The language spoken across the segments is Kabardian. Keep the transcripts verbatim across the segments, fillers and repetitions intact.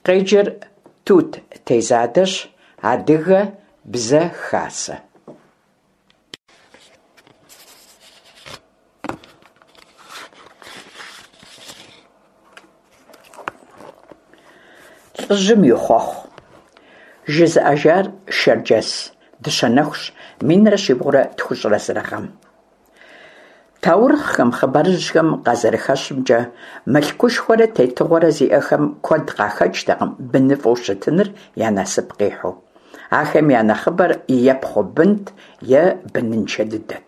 Къеджэр Тут Тезадэщ, Адыгэ Бзэ Хасэ. Лӏыжьым и хъуэхъу. Жызыӏэжар Шэрджэс Дыщэнэхущ, минрэ щибгъурэ тхущӏрэ зырэ гъэм. Таурыхъхэм, хъыбарыжьхэм къазэрыхэщымкӏэ, мылъкушхуэрэ тетыгъуэрэ зиӏэхэм куэд къахэкӏтэкъым быныфӏэу щытыныр я насып къихьу. Ахэм я нэхъыбэр е пхъу бынт, е быныншэ дыдэт.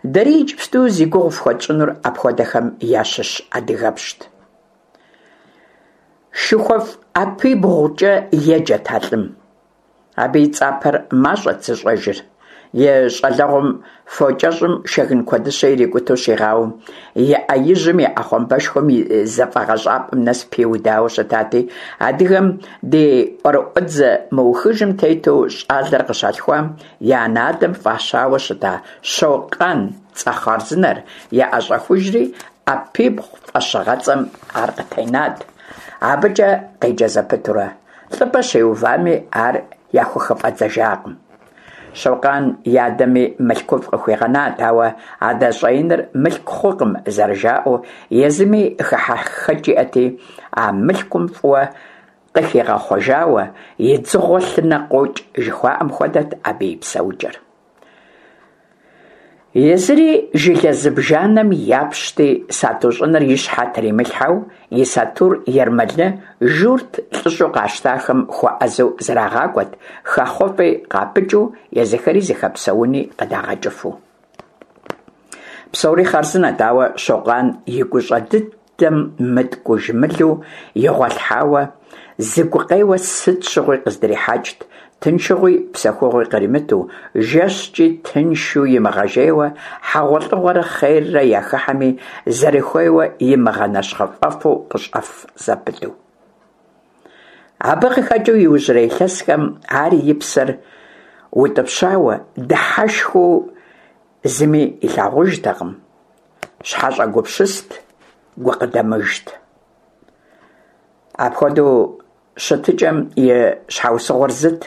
Дэри иджыпсту зи гугъу фхуэтщӏынур апхуэдэхэм ящыщ адыгэпщт. ШыхуэфӀ ӀэпибгъукӀэ еджэт а лӀым. Абы и цӀапэр мащӀэт зыщӀэжыр. И щӀалэгъуэм фокӀэщӀым шэгын куэдыщэ ирикӀуту щигъауэм, и Ӏэ ижьым и Ӏэхъуамбэшхуэм и зэфӀэгъэщӀапӀэм нэс пиудауэ щытати, адыгэм ди ӀуэрыӀуэдзэ мыухыжым тету, щӀалэр къыщалъхуам и анэ-адэм фӀащауэ щыта Щокъан цӀэ хъарзынэр яӀэщӀэхужри, Ӏэпибгъу фӀэщыгъэцӀэм ар къытенат, абыкӀэ къеджэ зэпытурэ. ЛӀыпӀэ щиувами, ар яхухыфӀэдзэжакъым. Щокъан и адэми мылъкуфӀ къыхуигъэнат, ауэ адэ щӀэиныр мылъку хъукъым зэрыжаӀэу, езыми хыхьэхэкӀ иӀэти, а мылъкум фӀыуэ къыхигъэхъуэжауэ, и дзыгъуэ лъынэ къокӀ жыхуаӀэм хуэдэт абы и псэукӀэр. Езыри жылэ зыбжанэм япщти, сату щӀыныр и щхьэ тримылъхьэу, и сатур ермэлы, журт лӀыщӀэу къащтахэм хуэӀэзэу зэрагъакӀуэт, хэхъуэфӀи къапыкӀыу, езыхэри зыхэпсэуни къыдагъэкӀыфу. Псори хъарзынэт, ауэ Щокъан и гущӀэ дыдэм мыткӀуж мылу игъуэлъхьауэ зы гукъеуэ сыт щыгъуи къыздрихьэкӀт, тыншыгъуи псэхугъуи къримыту, жэщкӀи тыншу имыгъэжейуэ, хьэгъуэлӀыгъуэрэ хъеррэ яхыхьэми, зэрыхуейуэ имыгъэнэщхъыфӀэфу къыщӀэф зэпыту. Абы къыхэкӀыу иужьрей илъэсхэм ар и псэр утӀыпщауэ, дыхьэшхыу зыми илъагъужтэкъым, щхьэщӀэгупсыст, гукъыдэмыжт. Апхуэдэу щытыкӀэм и щхьэусыгъуэр зыт: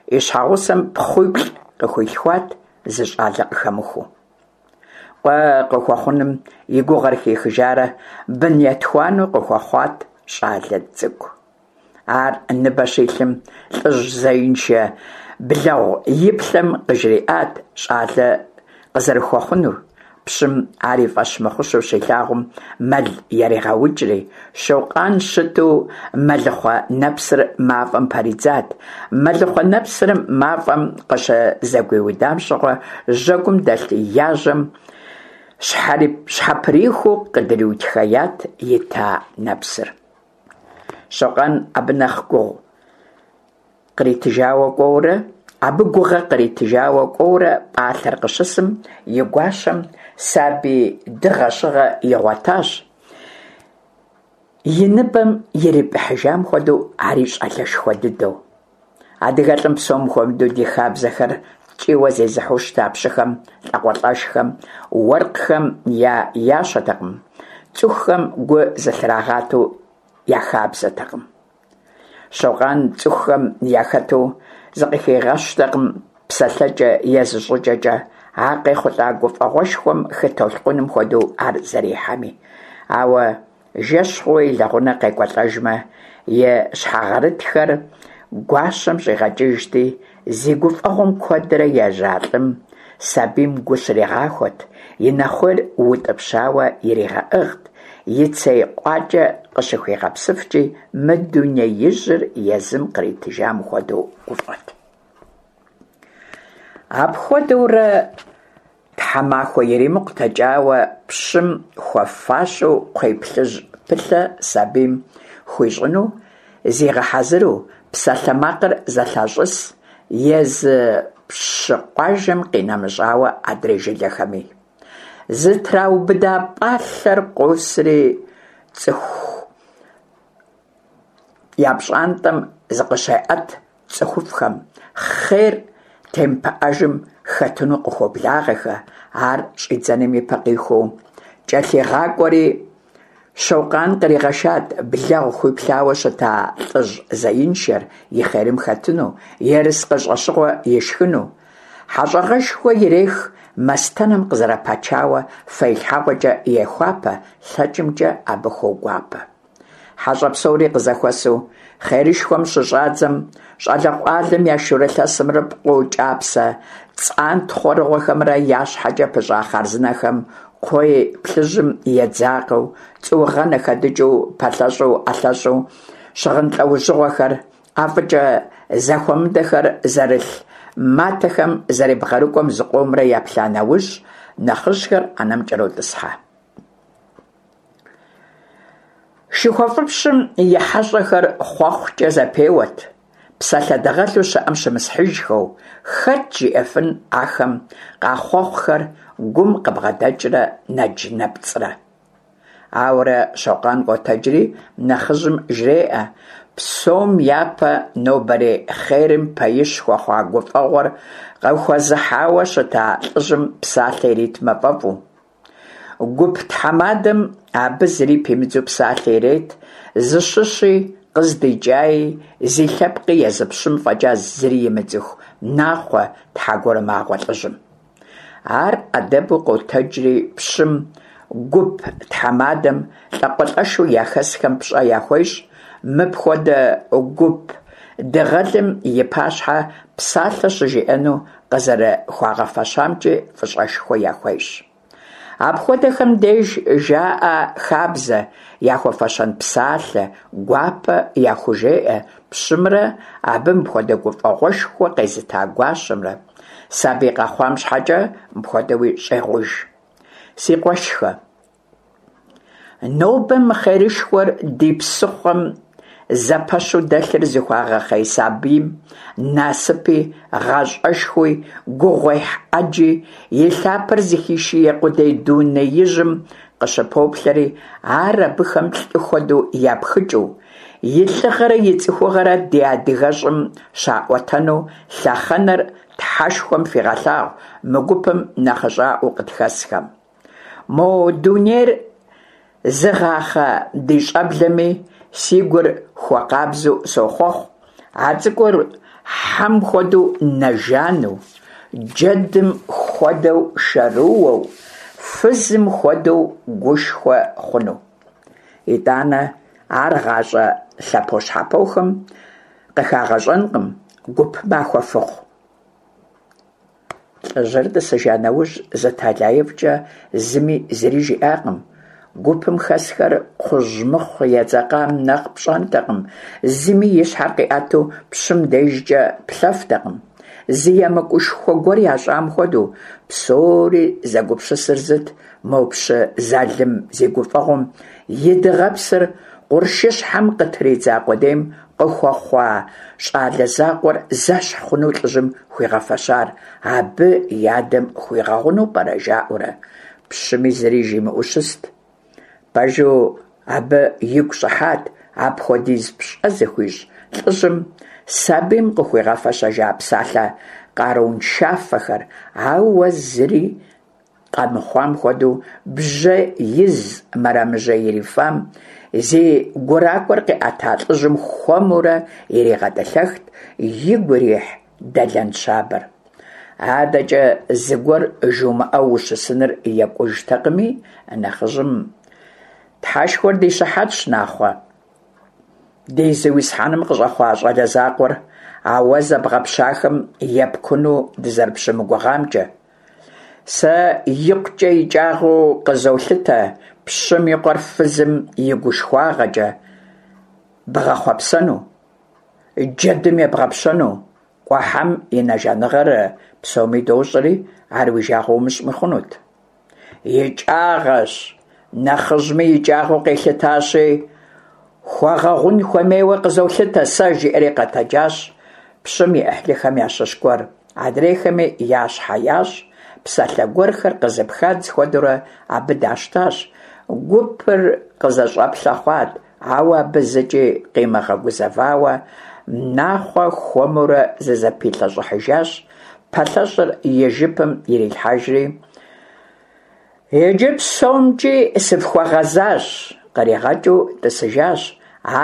и щхьэгъусэм пхъуиплӀ къыхуилъхуат, зы щӀалэ къыхэмыхуэу. Къуэ къыхуэхъуным и гугъэр хихыжарэ бын етхуанэу къыхуэхъуат щӀалэ цӀыкӀу. Ар ныбэ щилъым лӀыжь зеиншэ блэгъу иплъэм къыжриӀат щӀалэ къызэрыхуэхъунур. Пщым ар и фӀэщ мыхъущэу щилъагъум, мэл яригъэукӀри, Щокъан щыту мэлыхъуэ нэпсыр мафӀэм пэридзат. Мэлыхъуэ нэпсыр мафӀэм къыщызэгуиудам щыгъуэ, жьэгум дэлъ яжьэм щхьэприхуу къыдриутхеят ита нэпсыр. Щокъан абы нэхъ гугъу къритыжауэ кӀуэурэ, абы гугъэ къритыжауэ кӀуэурэ, пӀалъэр къыщысым, и гуащэм сабий дыгъэ-щыгъэ игъуэтащ, и ныбэм ирипӀыхьыжам хуэдэу ари щӀалэшхуэ дыдэу. АдыгэлӀым, псом хуэмыдэу ди хабзэхэр ткӀийуэ зезыхьэу щыта пщыхэм, лӀакъуэлӀэшхэм, уэркъхэм я ящэтэкъым, цӀыхухэм гу зылърагъатэу я хабзэтэкъым. Щокъан цӀыхухэм яхэту зыкъыхигъэщтэкъым псэлъэкӀэ е зыщӀыкӀэкӀэ, а къехъулӀа гуфӀэгъуэшхуэм хы толъкъуным хуэдэу ар зэрихьэми. Ауэ жэщ хъууэ и лэгъунэ къекӀуэлӀэжмэ, и щхьэгъэрытхэр гуащэм щӀигъэкӀыжти, зи гуфӀэгъуэм куэдрэ ежьа лӀым сабийм гу щригъахуэт, и нэхъуейр утӀыпщауэ иригъэӀыгът, и цей къуакӀэ къыщыхуигъэпсыфкӀи, мы дунеижьыр езым къритыжам хуэдэу гуфӀэт. Апхуэдэурэ тхьэмахуэ иримыкъу дэкӀауэ, пщым хуэфащэу кхъуейплъыжьпылъэ сабийм хуищӀыну зигъэхьэзыру, псалъэмакъыр зэлъащӀыс езы пщы къуажэм къинэмыщӀауэ адрей жылэхэми. Зытраубыда пӀалъэр къосри, цӀыху я пщӀантӀэм зыкъыщеӀэт цӀыхуфӀхэм, хъер темыпыӀэжым хэтыну къыхуоблагъэхэ, ар щӀидзэным ипэ къихуэу кӀэлъигъакӀуэри, Щокъан къригъэшат блэгъу хуиплъауэ щыта лӀыжь зеиншэр и хъерым хэтыну, ерыскъы щӀэщыгъуэ ишхыну. ХьэщӀэгъэшхуэ ирех, мастэнэм къызэрыпачауэ фэилъхьэгъуэкӀэ ехуапэ, лъэкӀымкӀэ абы хуогуапэ. ХьэщӀэ псори къызэхуэсу хъерышхуэм щыщӀадзэм, щӀалэгъуалэм я шурылъэсымрэ пкъо кӀапсэ цӀантхъуэрыгъуэхэмрэ я щхьэкӀэ пыщӀа хъарзынэхэм кхъуей плъыжьым едзакъэу, цӀуугъэнэ хэдыкӀыу, пэлъэщӀу, ӀэлъэщӀу, щыгъын лӀэужьыгъуэхэр, ӀэфӀыкӀэ зэхуэмыдэхэр зэрылъ матэхэм зэребгъэрыкӀуэм зыкъомрэ еплъа нэужь, нэхъыжьхэр Ӏэнэм кӀэротӀысхьэ. ШыхуэфӀыпщым и хьэщӀэхэр хъуэхъукӀэ зэпеуэт, псалъэ дыгъэлу щыӀэм щымысхьыжхэу, хэт жиӀэфын ахэм къахъуэхъухэр гум къыбгъэдэкӀрэ нэдж-нэпцӀрэ. Ауэрэ Щокъан къотэджри нэхъыжьым жреӀэ псом япэ нобэрей хъерым пэищ хуэхъуа гуфӀэгъуэр къыхуэзыхьауэ щыта лӀыжьым псалъэ иритмэ фӀэфӀу. Гуп тхьэмадэм абы зыри пимыдзу псалъэ ирет, зыщыщи, къыздикӀаи, зи лъэпкъи езы пщым фӀэкӀа зыри имыцӀыху Нахъуэ тхьэгурымагъуэ лӀыжьым. Ар Ӏэдэбу къотэджри пщым, гуп тхьэмадэм, лӀакъуэлӀэшу яхэсхэм пщӀэ яхуещӀ, мыпхуэдэ гуп дыгъэлым и пащхьэ псалъэ щыжиӀэну къызэрыхуагъэфэщамкӀи фӀыщӀэшхуэ яхуещӀ. Апхуэдэхэм деж жаӀэ хабзэ, яхуэфэщэн псалъэ гуапэ яхужеӀэ пщымрэ абы мыпхуэдэ гуфӀэгъуэшхуэ къезыта гуащэмрэ. Сабий къэхъуам щхьэкӀэ мыпхуэдэуи щӀегъуж: Си къуэшхэ, нобэ мы хъерышхуэр ди псыхъуэм зэпэщу дэлъыр зыхуагъэхъей сабийм насыпи, гъащӀэшхуи, гугъуехь Ӏэджи, и лъапэр зыхуишие къудей дунеижьым къыщыпоплъэри, ар абыхэм лӀы хуэдэу япхыкӀыу, и лӀыгъэрэ и цӀыхугъэрэ ди адыгэщӀым щаӀуэтэну лъэхъэнэр Тхьэшхуэм фигъэлъагъу мы гупым нэхъыщӀаӀуэу къытхэсхэм. Мо дунейр зыгъахъэ ди щӀэблэми си гур хуэкъабзэу сохъуэхъу, а цӀыкӀур хьэм хуэдэу нэ жану, джэдым хуэдэу шэрыуэу, фызым хуэдэу гушхуэ хъуну. ИтӀанэ ар гъащӀэ лъэпощхьэпохэм къыхагъэщӀэнкъым, гуп махуэ фыхъу. ЛӀыжьыр тӀысыжа нэужь, зы тэлаифӀкӀэ зыми зыри жиӀакъым. Гупым хэсхэр кхъужь мыхъу едзэкъам нэхъ пщӀэнтэкъым, зыми и щхьэр къиӀэту пщым дежкӀэ плъэфтэкъым. Зы емыкӀушхуэ гуэр ящӀам хуэдэу, псори зэгупсысыр зыт: мо пщы залым зи гуфӀэгъуэм и дыгъэпсыр къуршыщхьэм къытридза къудейм къыхуэхъуа щӀалэ закъуэр зэщхь хъуну лӀыжьым хуигъэфэщар абы и адэм хуигъэгъуну пӀэрэ, жаӀэурэ. Пщыми зыри жимыӀэу щыст. Пэжу, абы игу щӀыхьат апхуэдиз пщӀэ зыхуищӀ лӀыжьым сабийм къыхуигъэфэщэжа псалъэ къарууншафэхэр, ауэ зыри къэмыхъуам хуэдэу бжьэ из мэрэмэжьей ирифам зи гуракӀуэр къиӀэта лӀыжьым хуэмурэ иригъэтӀылъэхт игу ирихь дэлэн щабэр. АдэкӀэ зыгуэр жумыӀэу ущысыныр екӀужтэкъыми, нэхъыжьым: Тхьэшхуэр ди щыхьэтщ, Нахъуэ, ди зиусхьэным къыщӀэхъуа щӀалэ закъуэр а уэ зэбгъэпщахэм епкуну дызэрыпщымыгугъамкӀэ. Сэ икъукӀэ икӀагъэу къызолъытэ пщым и къуэр фызым и гушхуагъэкӀэ бгъэхъуэпсэну, джэдым ебгъэпщэну. КӀуэ, хьэм и нэ жаныгъэр псоми дощӀэри, ар уи жагъуэ умыщӀми хъунут. ИкӀагъэщ, нэхъыжьми икӀагъэу къилъытащи, хуэгъэгъун хуэмейуэ къызолъытэ сэ, жиӀэри къэтэджащ пщым и Ӏыхьлыхэм ящыщ гуэр. Адрейхэми я щхьэ ящӀ, псалъэ гуэрхэр къызыпхадз хуэдэурэ абы дащтащ. Гупыр къызэщӀэплъэ хъуат, ауэ абы зыкӀи къимыгъэгузэвауэ, Нахъуэ хуэмурэ зызэпилъэщӀыхьыжащ, пэлъэщӀыр и жыпым ирилъхьэжри: «Иджы псомкӀи сыфхуэгъэзащ, къригъэкӏыу тӏысыжащ,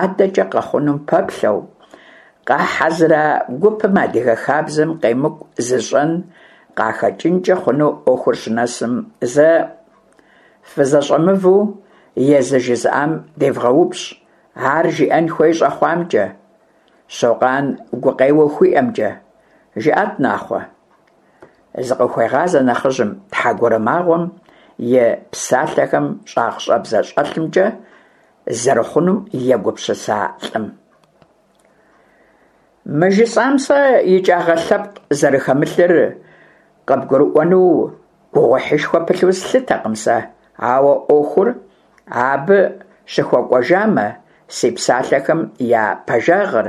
адэкӏэ къэхъунум пэплъэу. Къахьэзыра гупым адыгэ хабзэм къемыкӏу зыщӏэн къахэкӏынкӏэ хъуну ӏуэхур щынэсым, зэ фызэщӏэмыву, езы жызыӏам девгъэупщӏ, ар жиӏэн хуей щӏэхъуамкӏэ, Щокъан гукъеуэу хуиӏэмкӏэ. Жыӏэт, Нахъуэ, зыкъыхуегъазэ нэхъыжьым тхьэгурымагъуэм и псалъэхэм щӏагъщӏэбзэ щӏэлъымкӏэ зэрыхъунум егупсыса лӏым. Мы жысӏам сэ икӏагъэ лъэпкъ зэрыхэмылъыр къыбгурыӏуэну гугъуехьышхуэ пылъу слъытэкъым сэ, ауэ ӏуэхур абы щыхуэкӏуэжамэ, си псалъэхэм я пэжагъыр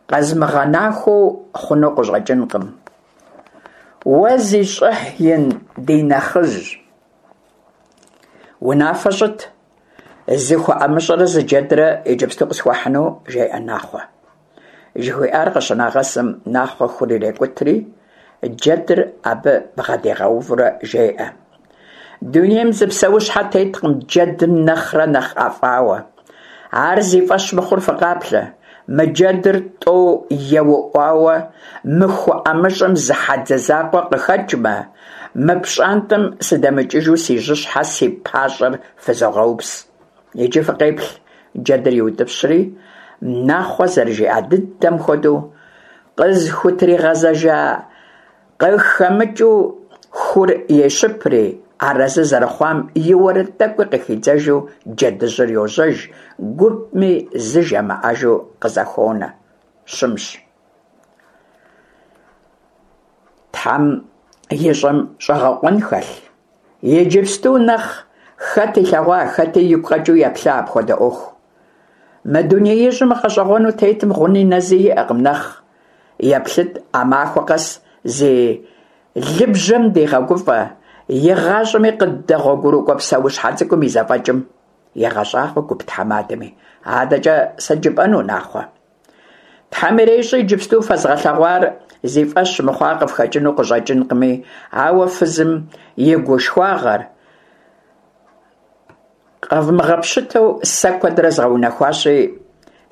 къэзмыгъэнахуэу хъуну къыщӏэкӏынкъым. Уэ зи щӏыхь ин ди нэхъыжь, унафэ щӏыт, зы ху ӏэмыщӏэрэ зы джэдрэ иджыпсту къысхуахьыну, жеӏэ Нахъуэ. Жыхуиӏар къыщынагъэсым, Нахъуэ хур ирекӏутри, джэдыр абы бгъэдигъэувэурэ жеӏэ: Дунейм зы псэущхьэ теткъым джэдым нэхърэ нэхъ ӏэфӏауэ. Ар зи фӏэщ мыхъур фыкъаплъэ. Мы джэдыр тӏэу еуӏуауэ мы ху ӏэмыщӏэм зы хьэдзэ закъуэ къыхэкӏмэ, мы пщӏантӏэм сыдэмыкӏыжу си жьыщхьэ си пащӏэр фызогъэупс. Иджы фыкъеплъ, джэдыр иутӏыпщри, Нахъуэ зэрыжиӏа дыдэм хуэдэу, къызыхутригъэзэжа къыхэмыкӏыу хур ещыпри, арэзы зэрыхъуам и уэрэд тӏэкӏуи къыхидзэжу джэдыжьыр йожьэж, гупми зы жамыӏэжу къызэхонэ. Щымщ. Тхьэм ищӏэм щӏэгъэкъуэн хэлъ? Иджыпсту нэхъ хэт илъэгъуа, хэти игу къэкӏыу еплъа апхуэдэ ӏуэху? Мы дунеижьым гъэщӏэгъуэну тетым гъуни нэзи иӏэкъым нэхъ. Еплъыт а махуэ къэс зи лыбжьэм дигъэгуфӏэ, игъащӏэми къыддэгъуэгурыкӏуэ псэущхьэ цӏыкӏум и зэфӏэкӏым. Егъэщӏагъуэ гуп тхьэмадэми. Адэкӏэ сыт жыпӏэну, Нахъуэ? Тхьэм ирещӏи, иджыпсту фэзгъэлъэгъуар зи фӏэщ мыхъуа къыфхэкӏыну къыщӏэкӏынкъыми, ауэ фызым и гушхуагъэр къэвмыгъэпщытэу сэ куэдрэ згъэунэхуащи,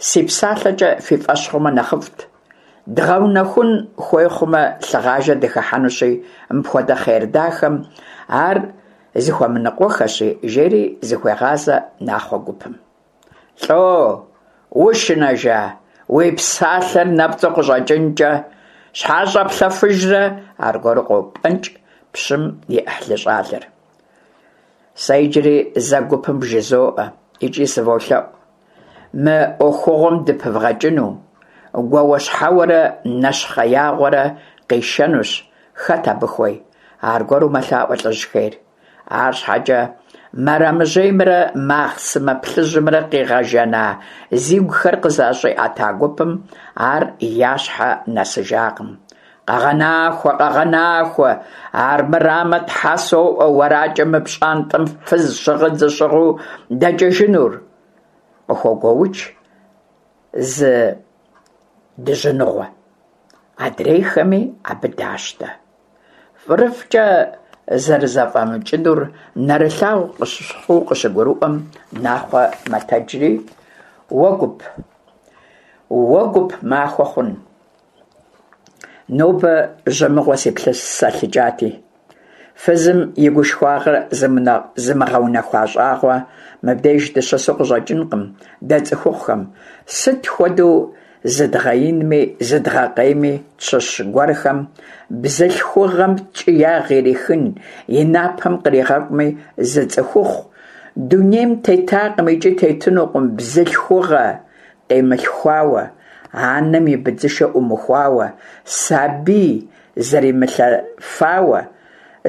си псалъэкӏэ фи фӏэщ хъумэ нэхъыфӏт. Дгъэунэхун хуей хъумэ, лъыгъажэ дыхыхьэнущи, мыпхуэдэ хъер дахэм ар зыхуэмыныкъуэхэщи, жери зыхуегъазэ Нахъуэ гупым. Лӏо, ушынэжа, уи псалъэр нэпцӏу къыщӏэкӏынкӏэ, щхьэ щӏэплъэфыжрэ? Аргуэру къопӏэнкӏ пщым и ӏыхьлы щӏалэр. Сэ иджыри зэ гупым вжызоӏэ икӏи сыволъэӏу, мы ӏуэхугъуэм дыпывгъэкӏыну, гуауэщхьэуэрэ нэщхъеягъуэрэ къишэнущ, хэт абы хуей? Аргуэру мэлъаӏуэ лӏыжь хейр. Арщхьэкӏэ мэрэмэжьеймрэ махъсымэ плъыжьымрэ къигъэжэна зигухэр къызэщӏиӏэта гупым ар я щхьэ нэсыжакъым. Къэгъэнахуэ, къэгъэнахуэ, армырамэ, тхьэ соӏуэ, уэракӏэ мы пщӏантӏэм фыз щыгъын зыщыгъыу дэкӏыжынур! Къыхогуоукӏ зы дыжьыныгъуэ. Адрейхэми абы дащтэ. Фӏырыфӏкӏэ зэрызэфӏэмыкӏынур нэрылъагъу хъуу къыщыгурыӏуэм, Нахъуэ мэтэджри: Уэ гуп, уэ гуп махуэ хъун! Нобэ жьэмыгъуэ сиплъысэлъыкӏати. Фызым и гушхуагъэр зымыгъэунэхуа щӏагъуэ мыбдеж дыщысу къыщӏэкӏынкъым дэ цӏыхухъухэм. Сыт хуэдэу зыдгъэинми, зыдгъэкъейми, тщыщ гуэрхэм бзылъхугъэм ткӏиягъ ирихын, и напэм къригъэкӏуми, зы цӏыхухъу дунейм тетакъым икӏи тетынукъым бзылъхугъэ къимылъхуауэ, анэм и быдзышэ ӏумыхуауэ, сабий зэримылъэфауэ,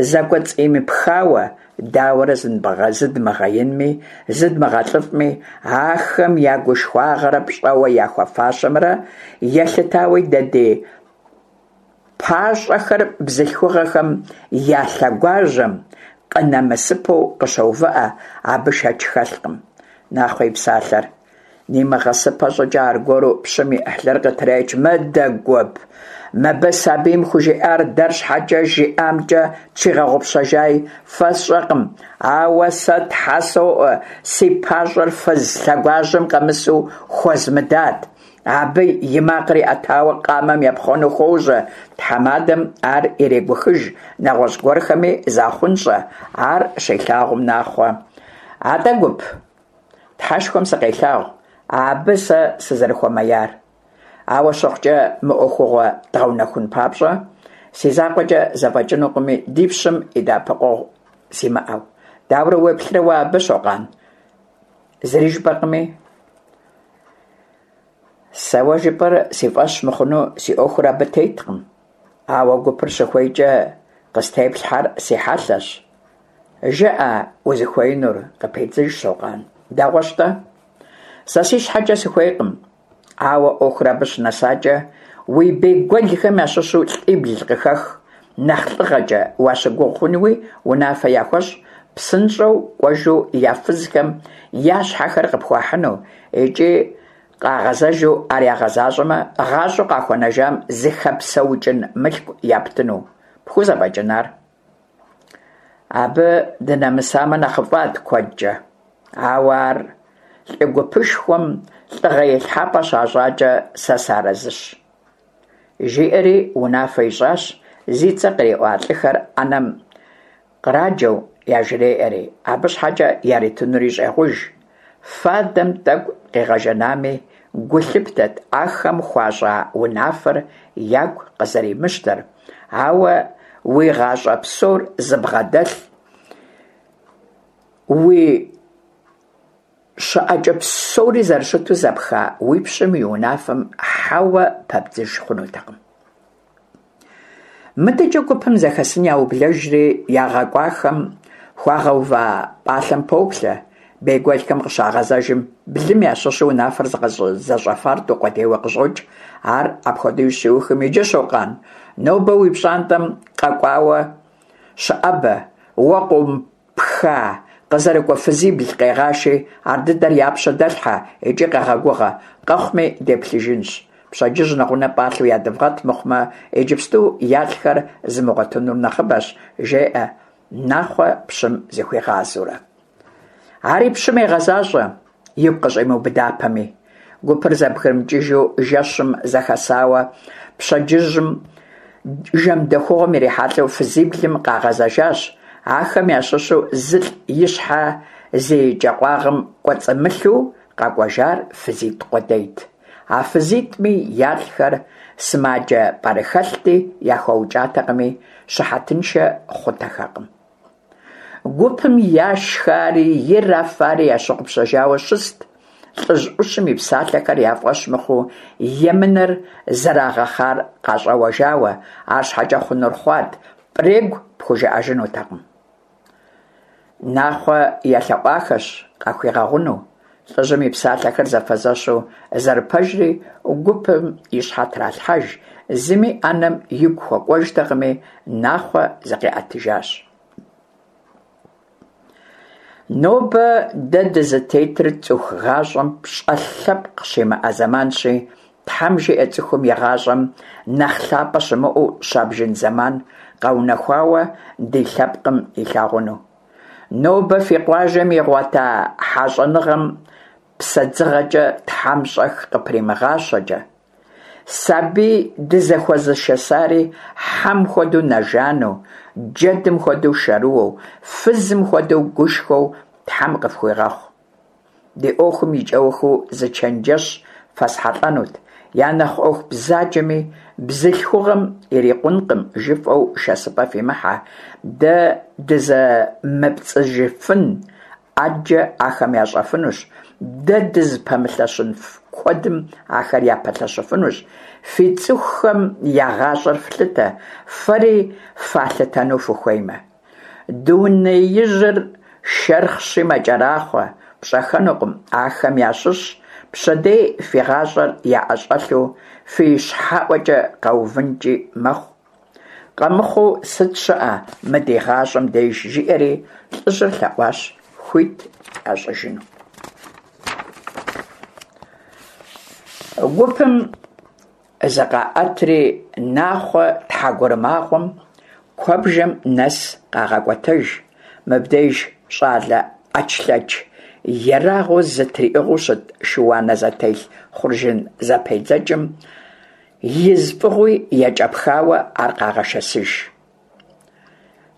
зэкӏуэцӏимыпхауэ, дауэрэ зыдмыгъэинми, зыдмыгъэлӏыфӏми, ахэм я гушхуагъэрэ пщӏэуэ яхуэфащэмрэ елъытауи дэ ди пащӏэхэр бзылъхугъэхэм я лъэгуажьэм къынэмысыпэу къыщоувыӏэ, абы шэч хэлъкъым. Нахъуэ и псалъэр Нимыгъэсыпэ щӏыкӏэ аргуэру пщым и ӏыхьлыр къытреч: «Мыдэ, гуп, мыбы сабийм хужиӏар дэр щхьэкӏэ жиӏамкӏэ тщигъэгъупщэжаи, фэ сщӏэкъым, ауэ сэ тхьэ соӏуэ, си пащӏэр фыз лъэгуажьэм къэмысу хуэзмыдат». Абы и макъыр иӏэтауэ къамэм епхъуэну хуожьэ, тхьэмадэм ар ирегухыж, нэгъуэщӏ гуэрхэми захъунщӏэ. Ар щилъагъум Нахъуэ: «Атӏэ, гуп, Тхьэшхуэм сыкъелъагъу, абы сэ сызэрыхуэмеяр. Ауэ щыхъукӏэ, мы ӏуэхугъуэр дгъэунэхун папщӏэ, си закъуэкӏэ зэфӏэкӏынукъыми, ди пщым и дэӏэпыкъуэгъу симыӏэу. Дауэрэ уеплърэ уэ абы, Щокъан? Зыри жыпӏэркъыми». «Сэ уэ жыпӏэр си фӏэщ мыхъуну си ӏуэхур абы теткъым, ауэ гупыр щыхуейкӏэ къыстеплъхьэр си хьэлъэщ. Жыӏэ узыхуеинур», – къыпедзыж Щокъан. «Дэгъуэщ-тӏэ. Сэ си щхьэкӏэ сыхуейкъым, ауэ ӏуэхур абы щынэсакӏэ, уи бейгуэлхэм ящыщу лӏибл къыхэх, нэхъ лӏыгъэкӏэ уащыгугъ хъунуи унафэ яхуэщӏ, псынщӏэу кӏуэжу я фызхэм я щхьэхэр къыпхуахьыну, икӏи къагъэзэжу ар ягъэзащӏэмэ, гъащӏэу къахуэнэжам зыхэпсэукӏын мылъку яптыну. Пхузэфӏэкӏын ар?» Абы дынэмысамэ нэхъыфӏат куэдкӏэ, ауэ ар лӏы гупышхуэм лӏыгъэ илъхьэпӏэ щащӏакӏэ сэ сыарэзыщ. Жиӏэри унафэ ищӏащ, зи цӏэ къриӏуа лӏыхэр ӏэнэм къраджэу яжреӏэри, абы щхьэкӏэ яритынури щӏегъуж. Фадэм тӏэкӏу къигъэжанами, гу лъыптэт ахэм хуащӏа унафэр ягу къызэримыщтэр, ауэ уи гъащӏэ псор зыбгъэдэлъ, уи щыӏэкӏэ псори зэрыщыту зэпха уи пщым и унафэм хьэуэ пэбдзыж хъунутэкъым. Мыдэкӏэ гупым зэхэсын яублэжри, ягъэкӏуахэм хуагъэува пӏалъэм поплъэ. Бейгуэлхэм къыщагъэзэжым, блым ящыщу унафэр зыгъэзэщӏэфар тӏу къудейуэ къыщӏокӏ. Ар апхуэдэу щиухым: «Иджы, Щокъан, нобэ уи пщӏантӏэм къэкӏуауэ щыӏэбэ, уэ къомыпха къызэрыкӏуэ фызибл къегъаши, ардыдэр я пщэ дэлъхьэ икӏи къэгъэгугъэ, къэхъуми деплъыжынщ. Пщэдджыжь нэгъунэ пӏалъэу ядывгъэт, мыхъумэ, иджыпсту ялӏхэр зымыгъуэтынур нэхъыбэщ», – жеӏэ Нахъуэ пщым зыхуигъазэурэ. Ари пщым егъэзащӏэ, игу къыщӏимыубыдапэми. Гупыр зэбгрымыкӏыжу жэщым зэхэсауэ, пщэдджыжьым жэмдэхугъуэм ирихьэлӏэу фызиблым къагъэзэжащ. Ахэм ящыщу зылӏ и щхьэ зи кӏэкъуагъым кӏуэцӏымылъу къэкӏуэжар фызитӏ къудейт. А фызитӏми ялӏхэр сымаджэ пӏэрыхэлъти, яхуэукӏатэкъыми, щыхьэтыншэ хъутэхэкъым. Гупым яшхари ирафари ящыгъупщэжауэ щыст, лӏыжь ӏущым и псалъэхэр я фӏэщ мыхъуу, емынэр зэрагъэхъар къащӏэуэжауэ, арщхьэкӏэ хъунур хъуат, пӏрегу пхужыӏэжынутэкъым. Нахъуэ елъэӏуахэщ къахуигъэгъуну. Лӏыжьым и псалъэхэр зэфэзэщу зэрыпэжри гупым и щхьэ тралъхьэж, зыми ӏэнэм игу хуэкӏуэжтэкъыми, Нахъуэ зыкъиӏэтыжащ. «Нобэ дэ дызытетыр цӏыху гъащӏэм пщӏэ лъэпкъ щимыӏэ зэманщи, Тхьэм жиӏэ цӏыхум и гъащӏэм нэхъ лъапӏэ щымыӏэу щабжын зэман къэунэхуауэ ди лъэпкъым илъагъуну. Нобэ фи къуажэм игъуэта хьэщӏэныгъэм псэдзыгъэкӏэ Тхьэм щӏэх къыпримыгъащэкӏэ. Сабий дызэхуэзышэсари хьэм хуэдэу нэжану, джэдым хуэдэу шэрыуэу, фызым хуэдэу гушхуэу Тхьэм къыфхуигъэхъу. Ди ӏуэхум и кӏэухыу зы чэнджэщ фэсхьэлӏэнут. Я нэхъ ӏуэху бзаджэми бзылъхугъэм ирикъункъым жыфӏэу шэсыпӏэ фимыхьэ, дэ дызэмыпцӏыжыфын ӏэджэ ахэм ящӏэфынущ, дэ дызыпэмылъэщын куэдым ахэр япэлъэщыфынущ. Фи цӏыхухэм я гъащӏэр флъытэ, фэри фалъытэну фыхуеймэ. Дунеижьыр шэрхъщи мэкӏэрахъуэ, пщӏэхэнукъым ахэм ящыщ пщэдей фи гъащӏэр яӏэщӏэлъу фи щхьэӏуэкӏэ къэувынкӏи мэхъу. Къэмыхъуу сыт щыӏэ мы ди гъащӏэм деж», жиӏэри лӏыжьыр лъэӏуащ хуит ящӏыжыну. Гупым зыкъаӀэтри, Нахъуэ тхьэгурымагъуэм куэбжэм нэс къагъэкӀуэтэж, мыбдеж щӀалэ Ӏэчлъэч ерагъыу зэтриӀыгъэу щыт шы-уанэ зэтелъ хъуржын зэпедзэкӀым из фӀыгъуи екӀэпхауэ ар къагъэшэсыж.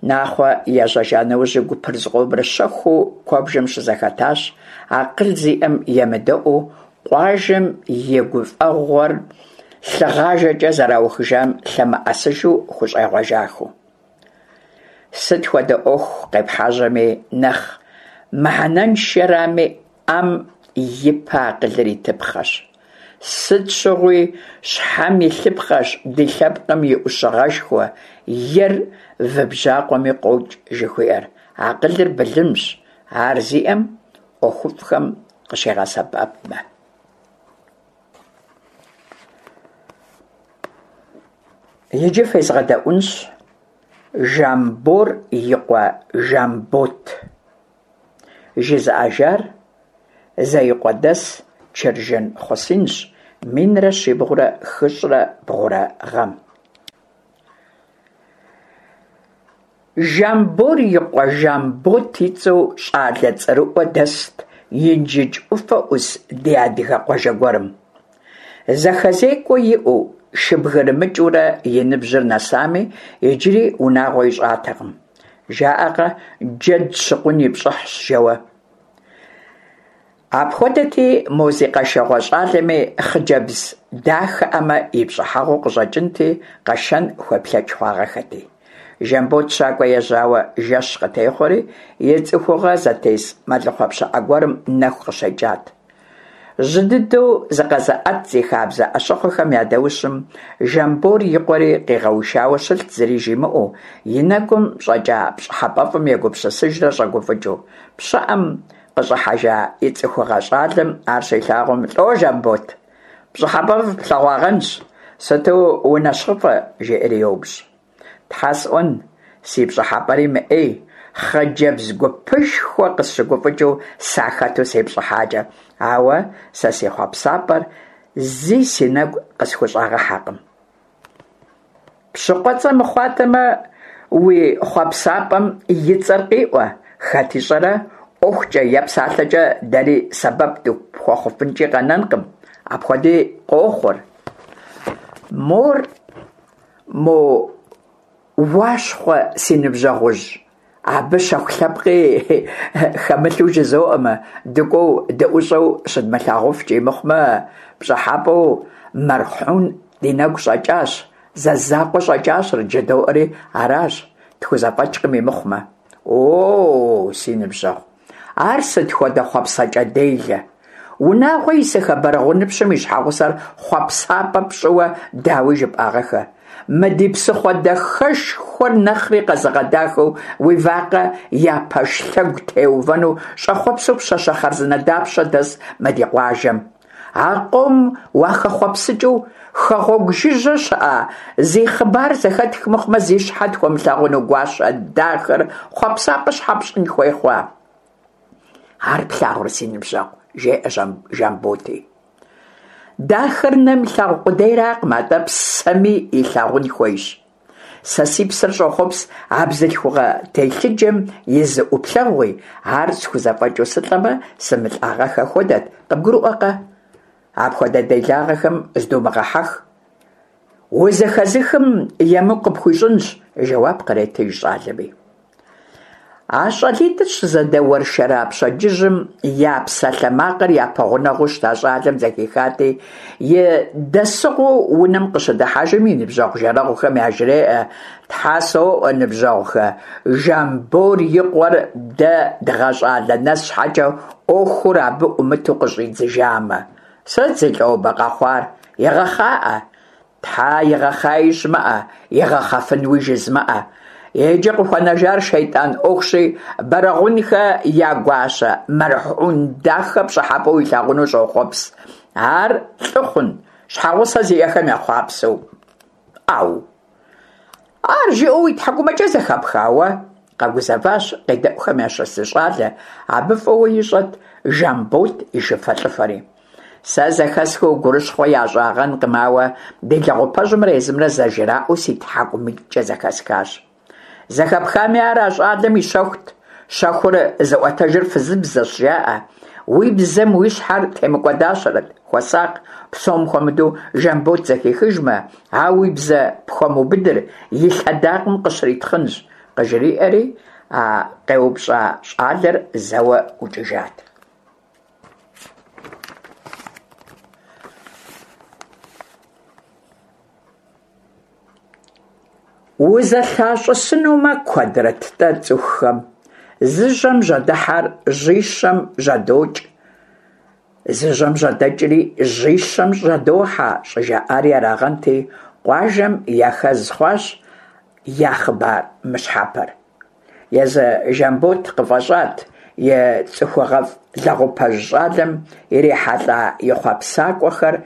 Нахъуэ ежьэжа нэужьи гупыр зыкъомрэ щэхуу куэбжэм щызэхэтащ, акъыл зиӀэм емыдэӀуэу къуажэм и гуфӀэгъуэр лъыгъажэкӀэ зэраухыжам лъэмыӀэсыжу хущӀегъуэжахэу. Сыт хуэдэ Ӏуэху къепхьэжьэми, нэхъ мыхьэнэншэрами, Ӏэм и пэ акъылыр итыпхъэщ. Сыт щыгъуи щхьэм илъыпхъэщ ди лъэпкъым и Ӏущыгъэшхуэ «Ер вы бжьакъуэми къокӀ» жыхуиӀэр. Акъылыр былымщ, ар зиӀэм ӀуэхуфӀхэм къыщигъэсэбэпмэ. Иджы фезгъэдэӀуэнщ «Жамбор и къуэ Жамбот». ЖызыӀэжар Зеикъуэдэс Чыржын Хъусинщ, минрэ щибгъурэ хыщӏрэ бгъурэ гъэм. Жамбор и къуэ Жамбот и цӀэу щӀалэ цӀэрыӀуэ дэст Инжыдж Ӏуфэ Ӏус ди адыгэ къуажэ гуэрым. ЗэхэзекӀуэ иӀэу, шыбгырымыкӀыурэ и ныбжьыр нэсами, иджыри унагъуэ ищӀатэкъым. ЖаӀэркъэ, джэд щыкъун и пщӀыхьщ, жэуэ. Апхуэдэти, мо зи къэшэгъуэ щӀалэми хъыджэбз дахэӀэмэ и пщӀыхьэгъуу къыщӀэкӀынти, къэшэн хуеплъэкӀ хъуагъэххэти. Жамбот щакӀуэ ежьауэ жэщ къытехъуэри, и цӀыхугъэ зытес мэлыхъуэ пщыӀэ гуэрым нэху къыщекӀат. Жьы дыдэу зыкъэзыӀэт зи хабзэ Ӏэщыхъуэхэм я даущым Жамбор и къуэри къигъэушауэ щылът зыри жимыӀэу, и нэгум щӀэкӀа пщӀыхьэпӀэфӀым егупсысыжрэ щӀэгуфӀыкӀыу. ПщыӀэм къыщӀыхьэжа и цӀыхугъэ щӀалэм ар щилъагъум, «ЛӀо, Жамбот, пщӀыхьэпӀэфӀ плъэгъуагъэнщ, сыту унэщхъыфӀэ?» жеӀэри йоупщӀ. «Тхьэ сӀуэн, си пщӀыхьэпӀэри мыӀей, хъыджэбз гупышхуэ къысщыгуфӀыкӀыу сахэту сепщӀыхьакӀэ, ауэ сэ си хъуэпсапӀэр зи си нэгу къысхущӀэгъэхьакъым». «ПщыкъуэцӀэ мыхъуатэмэ, уи хъуэпсапӀэм и цӀэр къиӀуэ, хэт ищӀэрэ, ӀуэхукӀэ е псалъэкӀэ дэри сэбэп дыпхуэхъуфынкӀи къэнэнкъым, апхуэди къохъур». «Мор мо Уащхъуэ си ныбжьэгъужь, абы щэху лъэпкъи хэмылъу жызоӀэмэ, дыкӀуэу дыӀущӀэу щыдмылъагъуфкӀи мыхъумэ, пщӀыхьэпӀэу мэрхьун ди нэгу щӀэкӀащ, зэ закъуэ щӀэкӀащэрэт жыдоӀэри аращ, тхузэфӀэкӀкъыми мыхъумэ». «О, си ныбжьэгъу, ар сыт хуэдэ хъуэпсэкӀэ делэ! Унагъуэ исыхэ Бэрэгъуныпщым и щхьэгъусэр хъуэпсапӀэ пщӀыуэ дауи жыпӀагъэххэ? Мы ди псыхъуэ дахэшхуэр нэхъри къэзыгъэдахэу уи вакъэ я пэш лъэгу теувэну щӀэхъуэпсу пщащэ хъарзынэ дапщэ дэс мы ди къуажэм? А къомым уахэхъуэпсыкӀыу хэгъуэгу жыжьэ щыӀэ зи хъыбар зэхэтх мыхъумэ, зи щхьэ тхуэмылъагъуну гуащэ дахэр хъуэпсапӀэ щхьэ пщӀын хуей хъуа?» «Ар плъагъурэ, си ныбжьэгъу, – жеӀэ Жамботи. – Дахэр нэм илъагъу къудейракъым, атӀэ псэми илъагъун хуейщ. Сэ си псэр щӀохъуэпс а бзылъхугъэ телъыджэм и зы Ӏуплъэгъуи, ар схузэфӀэкӀыу сылӀэмэ, сымылӀагъэххэ хуэдэт, къыбгурыӀуэркъэ? Апхуэдэ делагъэхэм зыдумыгъэхьэх, узэхэзыхым емыкӀу къыпхуищӀынщ, – жэуап къретыж щӀалэми. А щӀалитӀыр щызэдэуэршэра пщэдджыжьым я псалъэмакъыр япэгъунэгъуу щыта щӀалэм зэхихати, и дэсыгъуэу унэм къыщыдыхьэжым и ныбжьэгъу-жэрэгъухэм яжреӀэ: «Тхьэ соӀуэ, ныбжьэгъухэ, Жамбор и къуэр дэ дгъэщӀалэ нэс щхьэкӀэ, Ӏуэхур абы Ӏумыту къыщӀидзыжамэ». «Сыт, зи лӀобэ къэхъуар, игъэхъаӀэ?» «Тхьэ, игъэхъеи щымыӀэ, игъэхъэфынуи жызмыӀэ. Иджы къыхуэнэжар шейтӀан Ӏуэхущи, Бэрэгъунхэ я гуащэ мэрхьун дахэ пщӀыхьэпӀэу илъагъуну щӀохъуэпс. Ар лӀы хъун, щхьэгъусэ зиӀэхэм ехъуапсэу». «Ӏэу! Ар жиӀэу уи тхьэкӀумэкӀэ зэхэпха уэ?» къэгузэващ къедэӀухэм ящыщ зы щӀалэ, абы фӀыуэ ищӀэрт Жамбот и шыфэлӀыфэри. Сэ зэхэсхыу гурыщхъуэ ящӀагъэнкъым, ауэ ди лэгъупэжьымрэ езымрэ зэжраӀэу си тхьэкӀумитӀкӀэ зэхэсхащ. Зэхэпхами, ар а щӀалэм и щэхут. Щэхур зыӀуэтэжыр фызыбзэщ, жаӀэ. Уи бзэм уи щхьэр темыкӀуэдащэрэт, хуэсакъ, псом хуэмыдэу Жамбот зэхихыжмэ, а уи бзэ пхуэмыубыдыр и лъэдакъэм къыщритхъынщ, къыжриӀэри, а къеупщӀа щӀалэр зэуэ ӀукӀыжат. УзэлъащӀысынумэ, куэдрэт-тӀэ цӀыхухэм: «Зы жьэм жьэдыхьэр жьищэм жьэдокӀ, зы жьэм жьэдэкӀри жьищэм жьэдохьэ», щӀыжаӀари арагъэнти, къуажэм яхэз хъуащ я хъыбар мыщхьэпэр. Езы Жамбот къыфӀэщӀат и цӀыхугъэфӀ лэгъупэжь щӀалэм ирихьэлӀа и хъуэпсапӀэхэр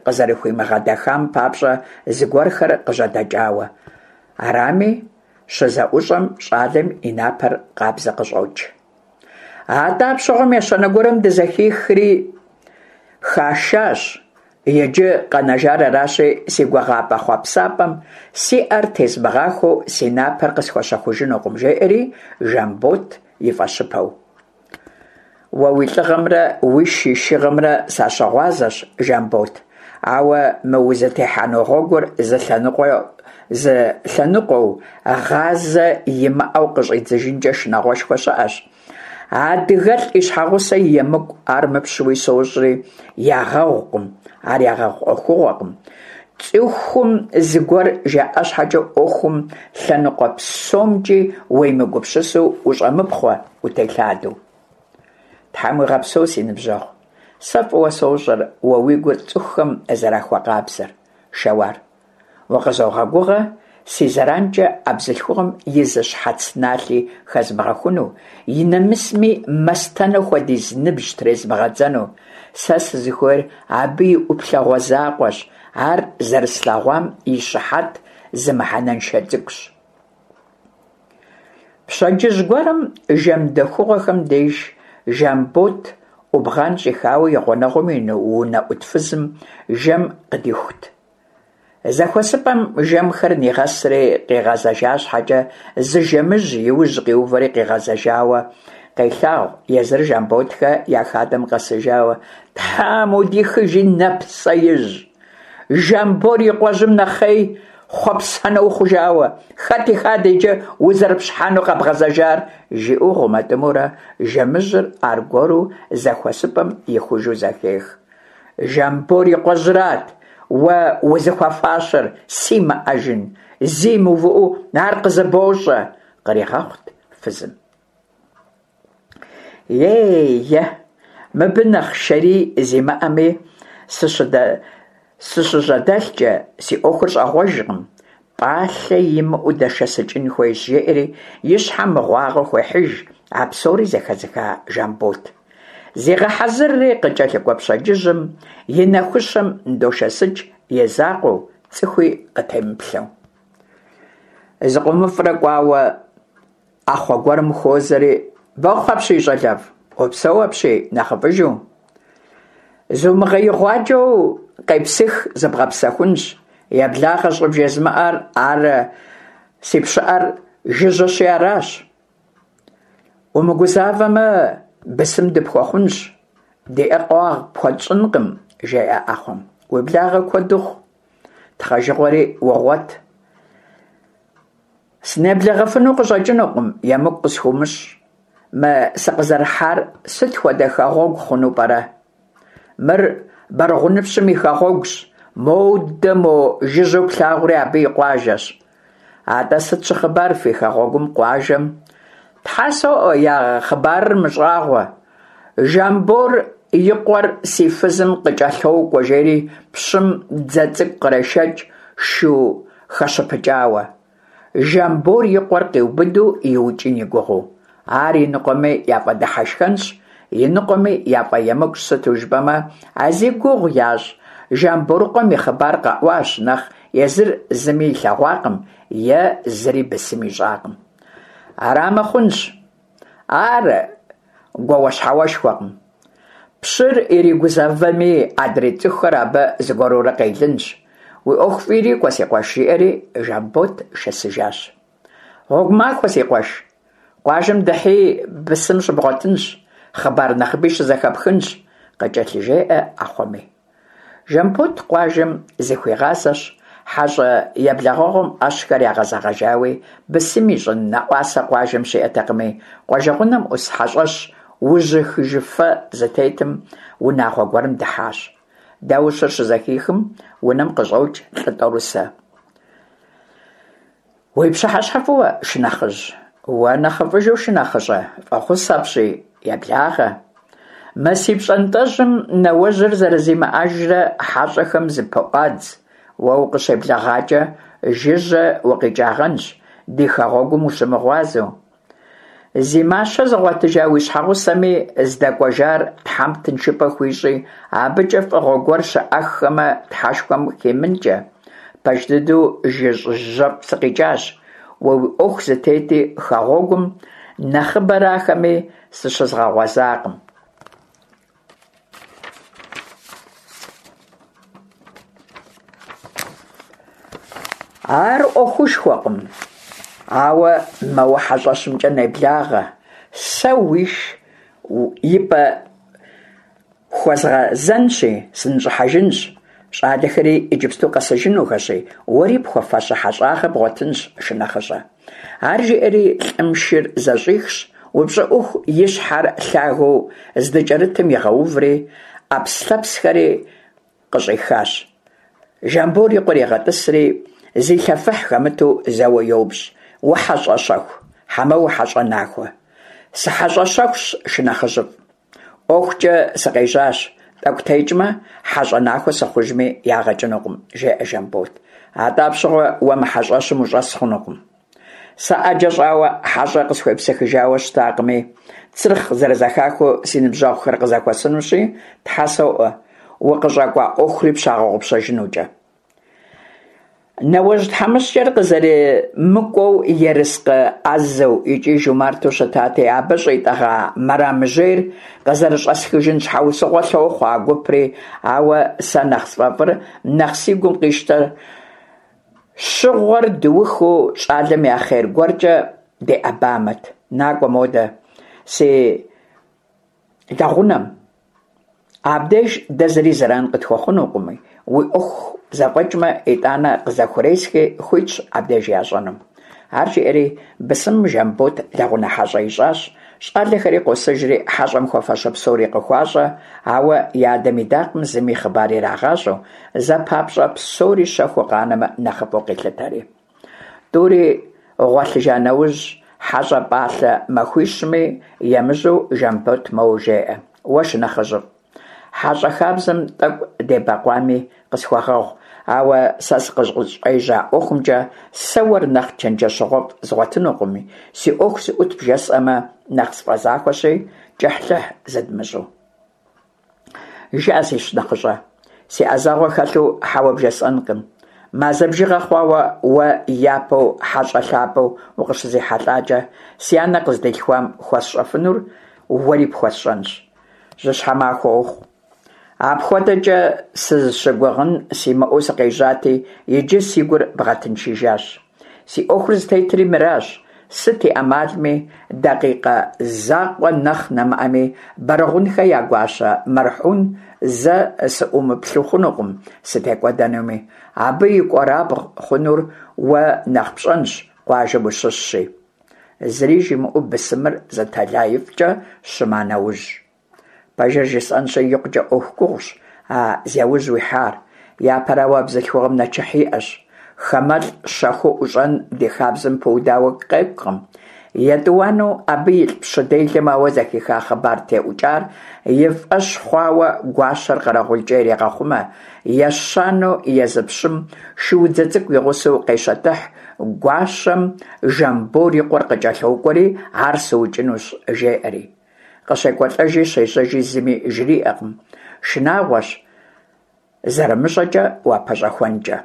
къызэрыхуимыгъэдэхам папщӀэ зыгуэрхэр къыжьэдэкӀауэ. Арами, щызэӀущӀэм щӀалэм и напэр къабзэ къыщӀокӀ. АтӀэ апщыгъуэм ещанэ гуэрым дызэхихри хашащ. Иджы къэнэжар аращи, си гугъапӀэ-хъуэпсапӀэм си Ӏэр тезмыгъахуэу си напэр къысхуэщэхужынукъым, жеӀэри Жамбот и фӀэщыпэу. Уэ уи лӀыгъэмрэ уиш и шыгъэмрэ сащыгъуазэщ, Жамбот, ауэ мы узытехьэну гъуэгур зы лъэныкъуэу гъазэ имыӀэу къыщӀидзыжынкӀэ шынагъуэшхуэ щыӀэщ. АдыгэлӀ и щхьэгъусэ и емыкӀу, ар мыпщуи сощӀри, ягъэгъукъым, ар ягъэгъу Ӏуэхугъуэкъым. ЦӀыхум зыгуэр жаӀа щхьэкӀэ Ӏуэхум лъэныкъуэ псомкӀи уемыгупсысу ущӀэмыпхъуэ, утелъадэу. Тхьэм уигъэпсэу, си ныбжьэгъу, сэ фӀыуэ сощӀэр уэ уи гур цӀыхухэм зэрахуэкъабзэр, Шэуар. Укъызогъэгугъэ си зэранкӀэ а бзылъхугъэм и зы щхьэц налъи хэзмыгъэхуну, и нэмысми мастэнэ хуэдиз ныбжь трезмыгъэдзэну. Сэ сызыхуейр абы и Ӏуплъэгъуэ закъуэщ, ар зэрыслъэгъуам и щыхьэт зы мыхьэнэншэ цӀыкӀущ. Пщэдджыжь гуэрым жэм дэхугъуэхэм деж Жамбот Ӏубгъан щӀихауэ и гъунэгъум и унэӀут фызым жэм къыдихут. ЗэхуэсыпӀэм жэмхэр нигъэсри къигъэзэжа щхьэкӀэ, зы жэмыжь и ужь къиувэри къигъэзэжауэ къелъагъу, езыр Жамботхэ я хадэм къэсыжауэ. «Тхьэм удихыжи, нэпсеижь! Жамбор и къуэжьым нэхъей хъуэпсэнэ ухъужауэ! Хэт и хадэ иджы узэрыпщхьэну къэбгъэзэжар?» жиӀэу гъумэтӀымэурэ жэмыжьыр аргуэру зэхуэсыпӀэм ихужу зэхех. «Жамбор и къуэжьырат уэ узыхуэфащэр, симыӀэжын! Зи мыувыӀэу ар къызыбощӀэ!» къригъэхъут фызым. «Ей-е, мыбы нэхъ шэрий зимыӀэми сыщыжьэдэлъкӀэ, си Ӏуэхур щӀагъуэжкъым, пӀалъэ имыӀэу дэшэсыкӀын хуейщ», жеӀэри и щхьэм мыгъуагъэ хуехьыж а псори зэхэзыха Жамбот. Зегъэхьэзырри къыкӀэлъыкӀуэ пщэдджыжьым и нэхущым дошэсыкӀ и закъуэу, цӀыхуи къытемыплъэу. ЗыкъомыфӀрэ кӀуауэ, Ӏэхъуэ гуэрым хуозэри, «Бэхъу апщий, щӀалэфӀ, упсэу апщий, нэхъыфӀыжу! Зумыгъэигъуаджэу къепсых, зыбгъэпсэхунщ. Еблагъэ щӀыбжезмыӀэр ар си пщыӀэр жыжьэщи аращ. Умыгузавэмэ, бысым дыпхуэхъунщ, ди Ӏэр къуагъ пхуэтщӀынкъым», жеӀэ Ӏэхъуэм. «Уи благъэ куэд ухъу, тхъэжыгъуэри угъуэт. Сынеблэгъэфыну къыщӀэкӀынукъым, емыкӀу къысхуумыщӀ. Мы сыкъызэрыхьар сыт хуэдэ хэгъуэгу хъуну пӀэрэ? Мыр Бэрэгъуныпщым и хэгъуэгущ, модэ мо жыжьэу плъагъури абы и къуажэщ. АтӀэ сыт щыхъыбар фи хэгъуэгум, къуажэм? Тхьэ соӀуэ, я хъыбарыр мыщӀагъуэ. Жамбор и къуэр си фызым къыкӀэлъокӀуэ жери пщым дзэ цӀыкӀу кърешэкӀ шу хэщыпыкӀауэ. Жамбор и къуэр къиубыду иукӀын и гугъэу. Ар иныкъуэми яфӀэдыхьэшхэнщ, иныкъуэми яфӀэемыкӀущ, сыту жыпӀэмэ, а зи гугъу ящӀ Жамборыкъуэм и хъыбар къэӀуащ нэхъ езыр зыми илъэгъуакъым е зыри бысым ищӀакъым. Арамэ хъунщ. Ар гуауэщхьэуэшхуэкъым. Пщыр иригузэвэми, адрей цӏыхухэр абы зыгуэрурэ къелынщ. Уи ӏуэху фӏы ирикӏуэ, си къуэш, жиӏэри Жамбот шэсыжащ. Гъуэгу махуэ, си къуэш. Къуажэм дыхьи бысым щыбгъуэтынщ, хъыбар нэхъыби щызэхэпхынщ, къыкӏэлъыжеӏэ ӏэхъуэми. Жамбот къуажэм зыхуигъазэщ, хьэщӏэ еблэгъэгъуэм ӏэщхэр ягъэзэгъэжауи, бысым ищӏын нэӏуасэ къуажэм щиӏэтэкъыми, къуажэгъунэм ӏус хьэщӏэщ ужьыхыжыфэ зытетым унагъуэ гуэрым дыхьащ. Даущыр щызэхихым, унэм къыщӏокӏ лӏы тӏорысэ. Уи пщыхьэщхьэ фӏыуэ, шынэхъыжь! Уэ нэхъыфӏыжу, шынэхъыщӏэ, фӏэхъус апщий, еблагъэ! Мы си пщӏантӏэжьым нэуэжьыр зэрызимыӏэжрэ хьэщӏэхэм зыпыӏуадз. Уэ укъыщеблэгъакӏэ, жыжьэ укъикӏагъэнщ, ди хэгъуэгум ущымыгъуазэу. Зи мащэ зыгъуэтыжа уи щхьэгъусэми здэкӏуэжар Тхьэм тыншыпӏэ хуищӏи, абыкӏэ фӏыгъуэ гуэр щыӏэххэмэ, Тхьэшхуэм химынкӏэ. Пэж дыдэу жыжьэфӏ сыкъикӏащ, уэ уи ӏуэху зытети, хэгъуэгум нэхъыбэрахэми сыщызгъэгъуэзакъым. Ар ӏуэхушхуэкъым, ауэ мэуэ хьэщӏэщымкӏэ неблагъэ, сэ уиш и пӏэ хуэзгъэзэнщи, сыныщӏыхьэжынщ. Щӏалэхэри иджыпсту къэсыжынухэщи, уэри пхуэфащэ хьэщӏагъэ бгъуэтынщ, шынэхъыщӏэ. Ар жиӏэри лӏым шыр зэщӏихщ, упщӏыӏуху и щхьэр лъагэу здыкӏэрытым игъэуври, ӏэпслъэпсхэри къыщӏихащ. Жамбор и къуэр егъэтӏысри, зилъэфыхь хэмыту зэуэ йоупщӏ: «Ухьэщӏэ щэху, хьэмэ ухьэщӏэ нахуэ?» «Сыхьэщӏэ щэхущ, шынэхъыжьыфӏ. ӏуэхукӏэ сыкъежьащ, тӏэкӏу текӏмэ, хьэщӏэ нахуэ сыхъужми ягъэ кӏынукъым», – жеӏэ Жамбот. «Атӏэ апщыгъуэ уэ мы хьэщӏэщым ущӏэс хъунукъым. Сэ ӏэджэ щӏауэ хьэщӏэ къысхуепсыхыжауэ щытакъыми, цырхъ зэрызэхахыу си ныбжьэгъухэр къызэхуэсынущи, Тхьэ соӏуэ, укъыщӏэкӏуа ӏуэхури пщагъэгъупщэжынукӏэ». Нэуэжь тхьэмыщкӏэр къызэрымыкӏуэу ерыскъы ӏэзэу икӏи жумарту щытати, абы щӏитӏэгъа мэрамыжьейр къызэрыщӏэсхыжын щхьэусыгъуэ лъохъуэ а гупри, ауэ сэ нэхъ сфӏэфӏыр, нэхъ си гум къищтэр щыгъуэр дыухыу щӏалэм я хъер гуэркӏэ деӏэбамэт. Накӏуэ модэ си лэгъунэм. Абдеж дэ зыри зэран къытхуэхъунукъыми, уи ӏуэху зэфӏэкӏмэ, итӏанэ къызэхуресхи, хуитщ абдеж ящӏэнум. Ар жиӏэри бысымым Жамбот лэгъунэ хьэщӏэ ищӏащ. Щӏалэхэри къосыжри хьэщӏэм хуэфащэ псори къыхуащӏэ, ауэ и адэм идакъым зыми хъыбар ирагъащӏэу, зэ папщӏэ псори щэхуу къанэмэ нэхъыфӏу къилъытэри. Тӏури гъуэлъыжа нэужь, хьэщӏэ пӏалъэ махуищми емыжьэу Жамбот моуэ жеӏэ: «Уэ, шынэхъыжьыфӏ, хьэщӏэ хабзэм тӏэкӏу дебэкъуами къысхуэгъэгъу, ауэ сэ сыкъыщӏежьа ӏуэхумкӏэ сэ уэр нэхъ чэнджэщэгъуфӏ згъуэтынукъыми, си ӏуэху зыӏут бжесӏэмэ нэхъ сфӏэзахуэщи, кӏыхьлӏыхь зыдмыщӏу». «Жыӏэ, си шынэхъыщӏэ, си ӏэзэгъуэ хэлъу хьэуэ бжесӏэнкъым. Мазэ бжыгъэ хъуауэ уэ япэу хьэщӏэ лъапӏэу укъыщызихьэлӏакӏэ, си анэ къыздилъхуам хуэсщӏэфынур уэри пхуэсщӏэнщ. Жьыщхьэ махуэ ухъу. Апхуэдэкӏэ сызыщыгугъын симыӏэу сыкъежьати, иджы си гур бгъэтыншыжащ. Си ӏуэхур зытетри мыращ. Сыт и ӏэмалми, дакъикъэ закъуэ нэхъ нэмыӏэми, Бэрэгъунхэ я гуащэ Мэрхьун зэ сыӏумыплъэу хъунукъым, сытекӏуэдэнуми. Абы и кӏуэрабгъу хъунур уэ нэхъ пщӏэнщ, къуажэм ущыщщи». Зыри жимыӏэу бысымыр зы тэлаифӏкӏэ щыма нэужь. Пэжыр жысӏэнщи, икъукӏэ ӏуэху гугъущ а зяужь уихьар. Япэрауэ, а бзылъхугъэм нэчыхь иӏэщ. Хамэлӏ щэхуу ӏущӏэн ди хабзэм пыудауэ къекӏукъым. Етӏуанэу, абы илӏ пщы делэм ауэ зэхиха хъыбар теӏукӏар и фӏэщ хъуауэ гуащэр къэрэгъулкӏэ ирегъэхъумэ. Ещанэу, езы пщым шуудзэ цӏыкӏу и гъусэу къещэтыхь, гуащэм Жамбор и къуэр къыкӏэлъокӏуэри, ар сыукӏынущ, жеӏэри. Къыщекӏуэлӏэжи щежьэжи зыми жриӏэкъым. Шынагъуэщ зэрымыщӏэкӏэ уапэщӏэхуэнкӏэ.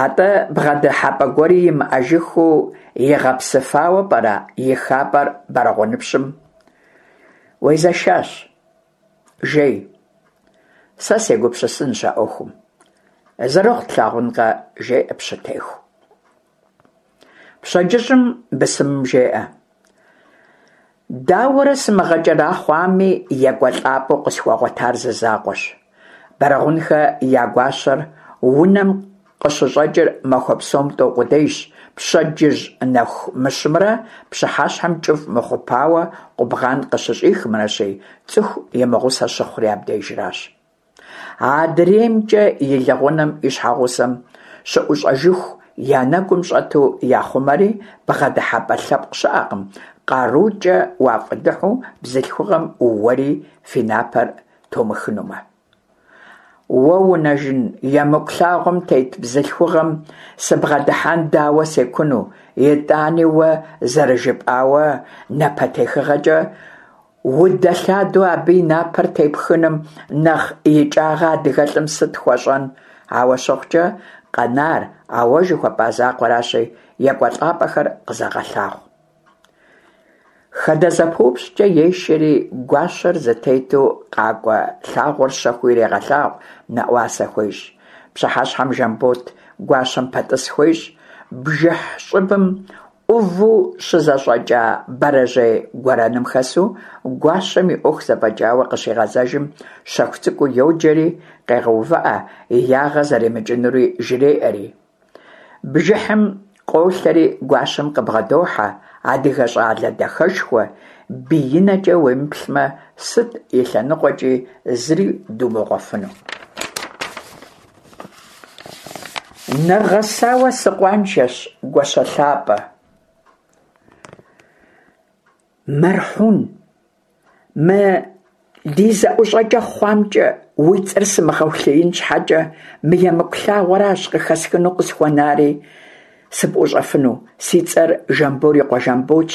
Атӏэ бгъэдыхьэпӏэ гуэри имыӏэжыххэу игъэпсыфауэ пӏэрэ и хапӏэр Бэрэгъуныпщым? Уезэшащ. Жей, сэ сегупсысынщ а ӏуэхум. Зэрыхъу тлъагъункъэ, – жеӏэ пщытеху. Пщэдджыжьым бысымым жеӏэ: Дауэрэ сымыгъэкӏэрэхъуами, екӏуэлӏапӏэу къысхуэгъуэтар зы закъуэщ. Бэрэгъунхэ я гуащэр унэм къыщыщӏэкӏыр махуэ псом тӏэу къудейщ: пщэдджыжь нэху мыщымрэ пщыхьэщхьэм кӏыфӏ мыхъупауэ къубгъан къыщыщӏихымрэщи, цӏыху имыгъусэ щыхъури абдежращ. АдреймкӀэ и лэгъунэм и щхьэгъусэм щыӏущӏэжыху я нэгум щӏэту яхъумэри, бгъэдыхьэпӏэ лъэпкъ щыӏэкъым, къарукӏэ уафӏыдыхьу бзылъхугъэм уэри фи напэр томыхынумэ. Уэ унэжын, емыкӏу лъагъуэм тет бзылъхугъэм сыбгъэдыхьэн дауэ секуну, итӏани уэ зэрыжыпӏауэ напэтехыгъэкӏэ удэлъадэу абы и напэр тепхыным нэхъ икӏагъэ адыгэлӏым сыт хуэщӏэн? Ауэ щыхъукӏэ, къэнар а уэ жыхуэпӏа закъуэращи, екӏуэлӏапӏэхэр къызэгъэлъагъу. Хадэзэпыупщӏкӏэ ешэри, гуащэр зытету къакӏуэ лъагъуэр щэхуу ирегъэлъагъу, нэӏуасэ хуещӏ. Пщыхьэщхьэм Жамбот гуащэм пэтӏыс хуещӏ. Бжыхь щӏыбым ӏуву щызэщӏэкӏа бэрэжьей гуэрэным хэсу, гуащэм и ӏуэху зэфӏэкӏауэ къыщигъэзэжым, щэху цӏыкӏуу йоджэри къегъэувыӏэ, и ягъэ зэремыкӏынури жреӏэри. Бжыхьым къолъэри гуащэм къыбгъэдохьэ адыгэ щӏалэ дахэшхуэ, биинэкӏэ уемыплъмэ, сыт и лъэныкъуэкӏи зыри думыгъуэфыну. Нэгъэсауэ сыкъуаншэщ, гуащэ лъапӏэ. Мэрхьун, мы ди зэӏущӏэкӏэ хъуамкӏэ уи цӏэр сымыгъэулъиин щхьэкӏэ, мы емыкӏу лъагъуэращ къыхэсхыну къысхуэнари сыпӏущӏэфыну. Си цӏэр Жамбор и къуэ Жамботщ,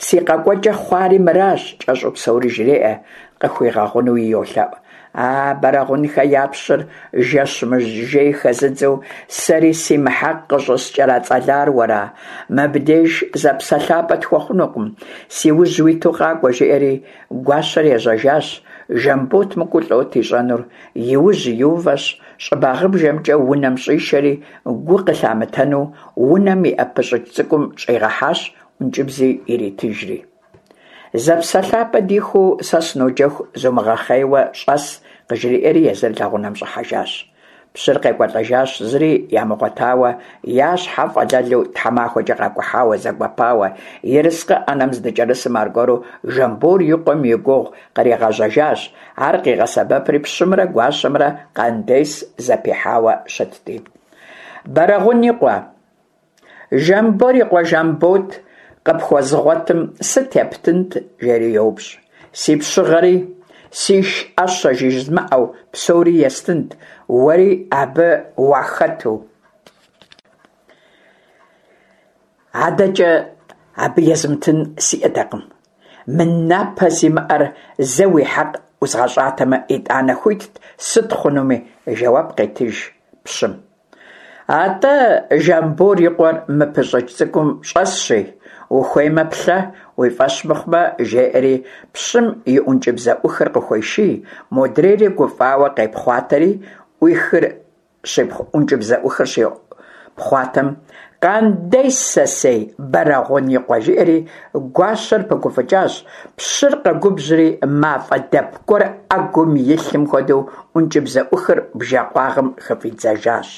си къэкӏуэкӏэ хъуари мыращ, кӏэщӏу псори жреӏэ, къыхуигъэгъунуи йолъэӏу. А Бэрэгъунхэ я пщыр жэщ мыжей хэзыдзэу сэри си мыхьэкъ къыщӏыскӏэрацӏэлар уэра? Мыбдеж зэпсэлъапӏэ тхуэхъунукъым, си ужь уиту къакӏуэ, жиӏэри гуащэр ежьэжащ. Жамбот мыкӏуэу лӏот ищӏэнур, и ужь иувэщ, щӏыбагъыбжэмкӏэ унэм щӏишэри, гу къылъамытэну унэм иӏэ пыщӏыкӏ цӏыкӏум щӏигъэхьащ, ӏункӏыбзи иритыжри. Зэпсэлъапӏэ дихуэу сэ сыноджэху зумыгъэхъейуэ щӏэс, къыжриӏэри езыр лэгъунэм щӏыхьэжащ. Пщыр къекӏуэлӏэжащ зыри ямыгъуэтауэ, я щхьэ фӏэлэлу тхьэмахуэкӏэ къакӏухьауэ, зэгуэпауэ, ерыскъы ӏэнэм здыкӏэрысым аргуэру Жамбор и къуэм и гугъу къригъэжьэжащ, ар къигъэсэбэпри пщымрэ гуащэмрэ къандес зэпихьауэ щытти. Бэрэгъун и къуэ, Жамбор и къуэ Жамбот къыпхуэзыгъуэтым сыт ептынт? жери йоупщӏ. Си пщыгъэри, сиш ӏэщэ жызмыӏэу псори естынт, уэри абы уахэту. Адэкӏэ абы езмытын сиӏэтэкъым. Мы напэ зимыӏэр зэ уи хьэкъ ӏузгъэщӏатэмэ, итӏанэ хуитт сыт хъунуми, жэуап къетыж пщым. Атӏэ, Жамбор и къуэр мы пыщӏыкӏ цӏыкӏум щӏэсщи, ухуеймэ плъэ, уи фӏэщ мыхъумэ, жеӏэри пщым и ӏункӏыбзэӏухыр къыхуеший, модрейри гуфӏауэ къепхъуатэри, ӏуихыр ӏункӏыбзэӏухыр щипхъуатэм, «Къандес сэсей, Бэрэгъун и къуэ!» жиӏэри гуащэр пыгуфӏыкӏащ, пщыр къэгубжьри мафӏэ дэп гуэр ӏэгум илъым хуэдэу ӏункӏыбзэӏухыр бжэкъуагъым хыфӏидзэжащ.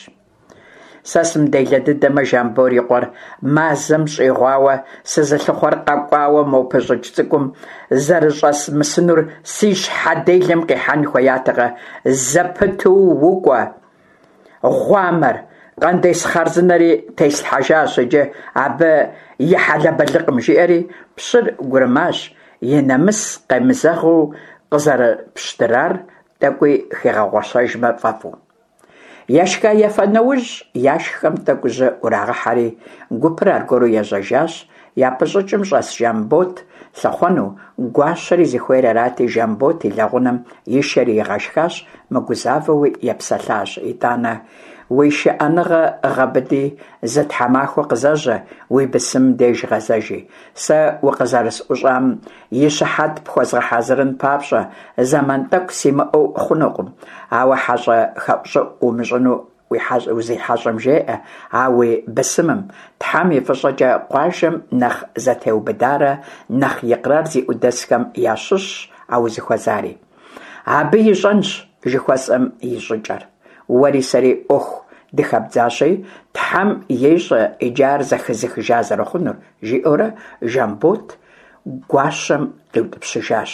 Сэ сымыделэ дыдэмэ, Жамбор и къуэр мазэм щӏигъуауэ сызылъыхъуэр къэкӏуауэ мо пыщӏыкӏ цӏыкӏум зэрыщӏэсмысынур си щхьэ делэм къихьэн хуеятэкъэ? Зэпыту укӏуэ, гъуамэр! Къандес хъарзынэри теслъхьэжащ иджы абы и хьэлэбэлыкъым, жиӏэри пщыр гурымащ, и нэмыс къемызэгъыу къызэрыпщтырар тӏэкӏуи хигъэгъуэщэжмэ фӏэфӏу. Ешха-ефа нэужь, яшхэм тӏэкӏу жьы ӏурагъэхьэри, гупыр аргуэру ежьэжащ, Япэщӏыкӏым щӏэс Жамбот лъыхъуэну, гуащэри зыхуейр арати, Жамбот и лэгъунэм ишэри игъэшхащ, мыгузавэуи епсэлъащ. ИтӀанэ: «Уи шыӀэныгъэ гъэбыди, зы тхьэмахуэ къызэжьэ, уи бысымым деж гъэзэжи. Сэ укъызэрысӀущӀам и щыхьэт пхуэзгъэхьэзырын папщӀэ, зэман тӀэкӀу симыӀэу хъунукъым. Ауэ хьэщӀэ хэӀущӀыӀу умыщӀыну узихьэщӀэм жеӀэ, а уи бысымым, Тхьэм и фӀыщӀэкӀэ, къуажэм нэхъ зэтеубыдарэ нэхъ икърар зиӀэу дэсхэм ящыщщ а узыхуэзари. Абы ищӀэнщ жыхуэсӀэм и щӀыкӀэр. Уэри сэри Ӏуэху дыхэбдзащи, Тхьэм ещӀэ иджы ар зэхэзыхыжа зэрыхъунур», – жиӀэурэ Жамбот гуащэм къиутӀыпщыжащ.